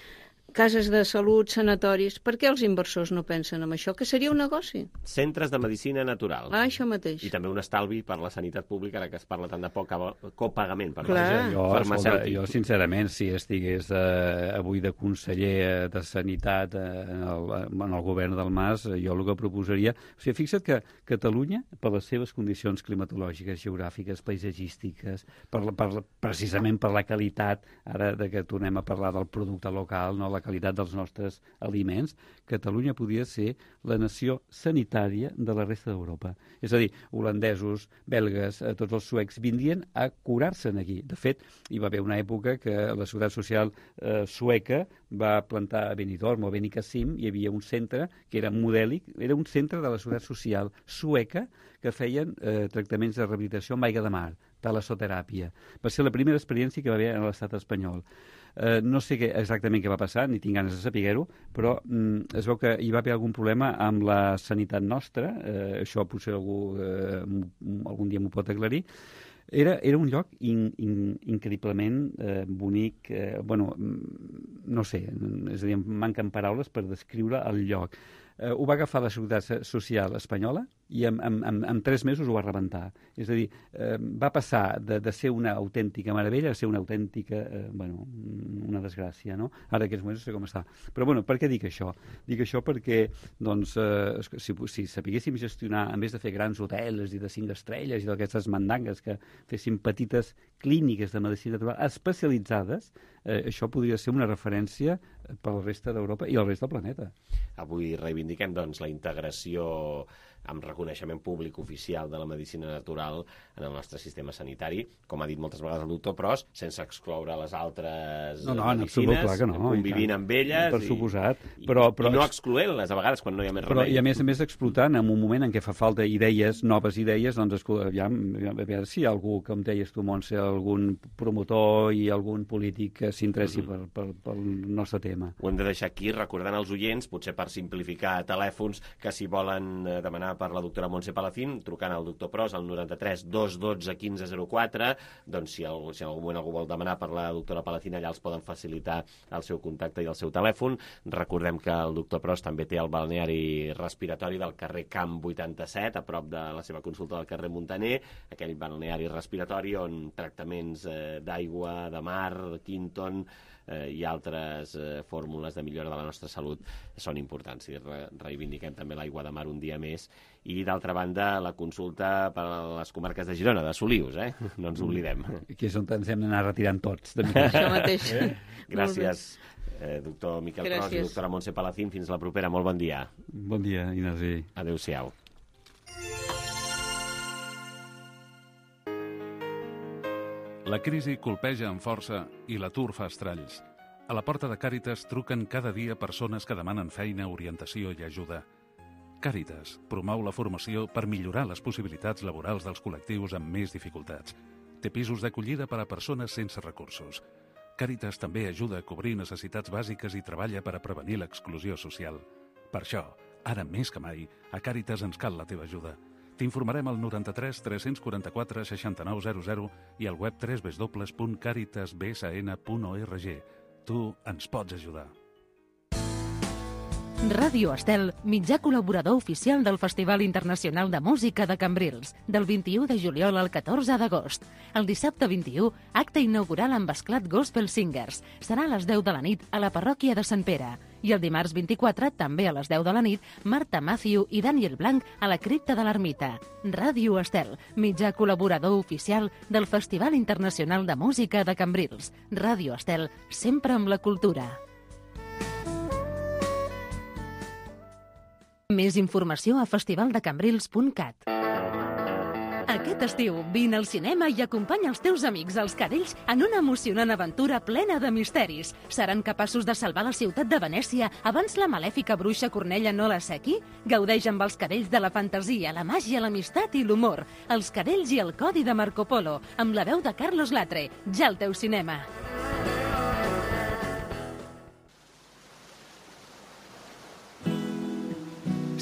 Speaker 10: cases de salut, sanatoris. Per què els inversors no pensen en això? Que seria un negoci.
Speaker 1: Centres de medicina natural.
Speaker 10: Ah, això mateix.
Speaker 1: I també un estalvi per la sanitat pública, ara que es parla tant de poc copagament per
Speaker 9: Clar. Jo,
Speaker 1: farmacèutic.
Speaker 9: Jo, sincerament, si estigués eh, avui de conseller de Sanitat eh, en, el, en el govern del Mas, jo el que proposaria... O sigui, fixa't que Catalunya, per les seves condicions climatològiques, geogràfiques, paisatgístiques, per, per, precisament per la qualitat, ara de que tornem a parlar del producte local, no la qualitat dels nostres aliments, Catalunya podria ser la nació sanitària de la resta d'Europa. És a dir, holandesos, belgues, eh, tots els suecs vindrien a curar-se'n aquí. De fet, hi va haver una època que la Seguretat Social eh, sueca va plantar a Benidorm o a Benicàssim, hi havia un centre que era modèlic, era un centre de la Seguretat Social sueca que feien eh, tractaments de rehabilitació amb aigua de mar, talassoteràpia. Va ser la primera experiència que va haver a l'estat espanyol. Eh, no sé què, exactament què va passar, ni tinc ganes de saber-ho, però mm, es veu que hi va haver algun problema amb la sanitat nostra, eh, això potser algú eh, algun dia m'ho pot aclarir. Era, era un lloc in, in, increïblement eh, bonic, eh, bueno, no sé, és a dir, em manquen paraules per descriure el lloc. Eh, ho va agafar la Seguretat Social espanyola i en, en, en, en tres mesos ho va rebentar. És a dir, eh, va passar de, de ser una autèntica meravella a ser una autèntica, eh, bueno, una desgràcia, no? Ara aquests moments no sé com està. Però, bueno, per què dic això? Dic això perquè, doncs, eh, si, si sapiguéssim gestionar, en vez de fer grans hotels i de cinc estrelles i d'aquestes mandangues, que fessin petites clíniques de medicina natural especialitzades, eh, això podria ser una referència per la resta d'Europa i el rest del planeta.
Speaker 1: Avui reivindiquem, doncs, la integració amb reconeixement públic oficial de la medicina natural en el nostre sistema sanitari, com ha dit moltes vegades el doctor Pros, sense excloure les altres
Speaker 9: no, no,
Speaker 1: medicines,
Speaker 9: clar que no,
Speaker 1: convivint amb elles,
Speaker 9: per
Speaker 1: i,
Speaker 9: suposat,
Speaker 1: i,
Speaker 9: però, però,
Speaker 1: i no excloent-les a vegades quan no hi ha més
Speaker 9: però,
Speaker 1: remei.
Speaker 9: I a més a més explotant en un moment en què fa falta idees, noves idees, doncs ja, a veure si hi ha algú, com deies tu, Montse, algun promotor i algun polític que s'interessi mm-hmm. per, per, pel nostre tema.
Speaker 1: Ho hem de deixar aquí, recordant als oients, potser per simplificar telèfons, que si volen demanar per la doctora Montse Palacín, trucant al doctor Pros al noranta-tres dos dotze quinze zero quatre, doncs si, el, si en algun moment algú vol demanar per la doctora Palacín, allà els poden facilitar el seu contacte i el seu telèfon. Recordem que el doctor Pros també té el balneari respiratori del carrer Camp vuitanta-set, a prop de la seva consulta del carrer Muntaner, aquell balneari respiratori on tractaments eh, d'aigua, de mar, Quinton, eh, i altres eh, fórmules de millora de la nostra salut són importants. I re reivindiquem també l'aigua de mar un dia més. I, d'altra banda, la consulta per a les comarques de Girona, de Solius, eh? No ens oblidem.
Speaker 9: Aquí és on ens hem d'anar retirant tots. De
Speaker 10: Això mateix.
Speaker 1: Eh? Gràcies, eh, doctor Miquel Pros i doctora Montse Palacín. Fins la propera. Molt bon dia.
Speaker 9: Bon dia, Ignasi.
Speaker 1: Adéu-siau.
Speaker 4: La crisi colpeja amb força i l'atur fa estralls. A la porta de Càritas truquen cada dia persones que demanen feina, orientació i ajuda. Càritas promou la formació per millorar les possibilitats laborals dels col·lectius amb més dificultats. Té pisos d'acollida per a persones sense recursos. Càritas també ajuda a cobrir necessitats bàsiques i treballa per a prevenir l'exclusió social. Per això, ara més que mai, a Càritas ens cal la teva ajuda. T'informarem al noranta-tres tres quaranta quatre seixanta-nou zero zero i al web w w w punt caritas b s n punt org. Tu ens pots ajudar.
Speaker 3: Ràdio Estel, mitjà col·laborador oficial del Festival Internacional de Música de Cambrils, del vint-i-u de juliol al catorze d'agost. El dissabte vint-i-u, acte inaugural amb esclat Gospel Singers. Serà a les deu de la nit a la parròquia de Sant Pere. I el dimarts vint-i-quatre, també a les deu de la nit, Marta Matthew i Daniel Blanc a la cripta de l'Ermita. Ràdio Estel, mitjà col·laborador oficial del Festival Internacional de Música de Cambrils. Ràdio Estel, sempre amb la cultura. Més informació a festivaldecambrils punt cat. Aquest estiu, vine al cinema i acompanya els teus amics, els cadells, en una emocionant aventura plena de misteris. Seran capaços de salvar la ciutat de Venècia abans la malèfica bruixa Cornella no la sequi? Gaudeix amb els cadells de la fantasia, la màgia, l'amistat i l'humor. Els cadells i el codi de Marco Polo, amb la veu de Carlos Latre. Ja al teu cinema.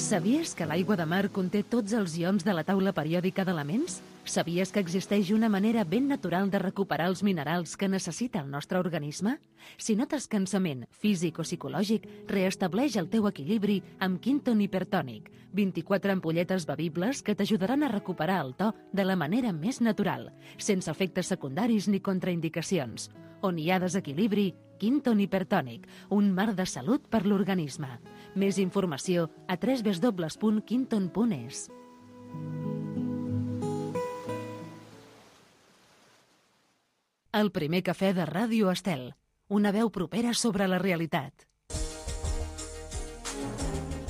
Speaker 3: Sabies que l'aigua de mar conté tots els ions de la taula periòdica d'elements? Sabies que existeix una manera ben natural de recuperar els minerals que necessita el nostre organisme? Si notes cansament físic o psicològic, reestableix el teu equilibri amb Quinton Hipertònic. vint-i-quatre ampolletes bevibles que t'ajudaran a recuperar el to de la manera més natural, sense efectes secundaris ni contraindicacions. On hi ha desequilibri, Quinton Hipertònic, un mar de salut per l'organisme. Més informació a w w w punt quinton punt e s. El primer cafè de Ràdio Estel, una veu propera sobre la realitat.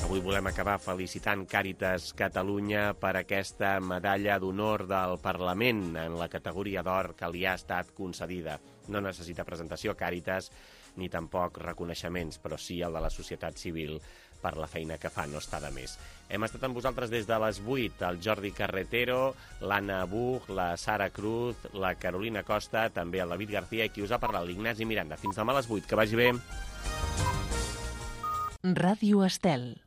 Speaker 1: Avui volem acabar felicitant Càritas Catalunya per aquesta medalla d'honor del Parlament en la categoria d'or que li ha estat concedida. No necessita presentació Càritas ni tampoc reconeixements, però sí el de la societat civil per la feina que fa, no està de més. Hem estat amb vosaltres des de les vuit, el Jordi Carretero, l'Anna Buch, la Sara Cruz, la Carolina Costa, també el David García i qui us ha parlat, l'Ignasi Miranda. Fins demà a les vuit, que vagi bé.
Speaker 3: Ràdio Estel.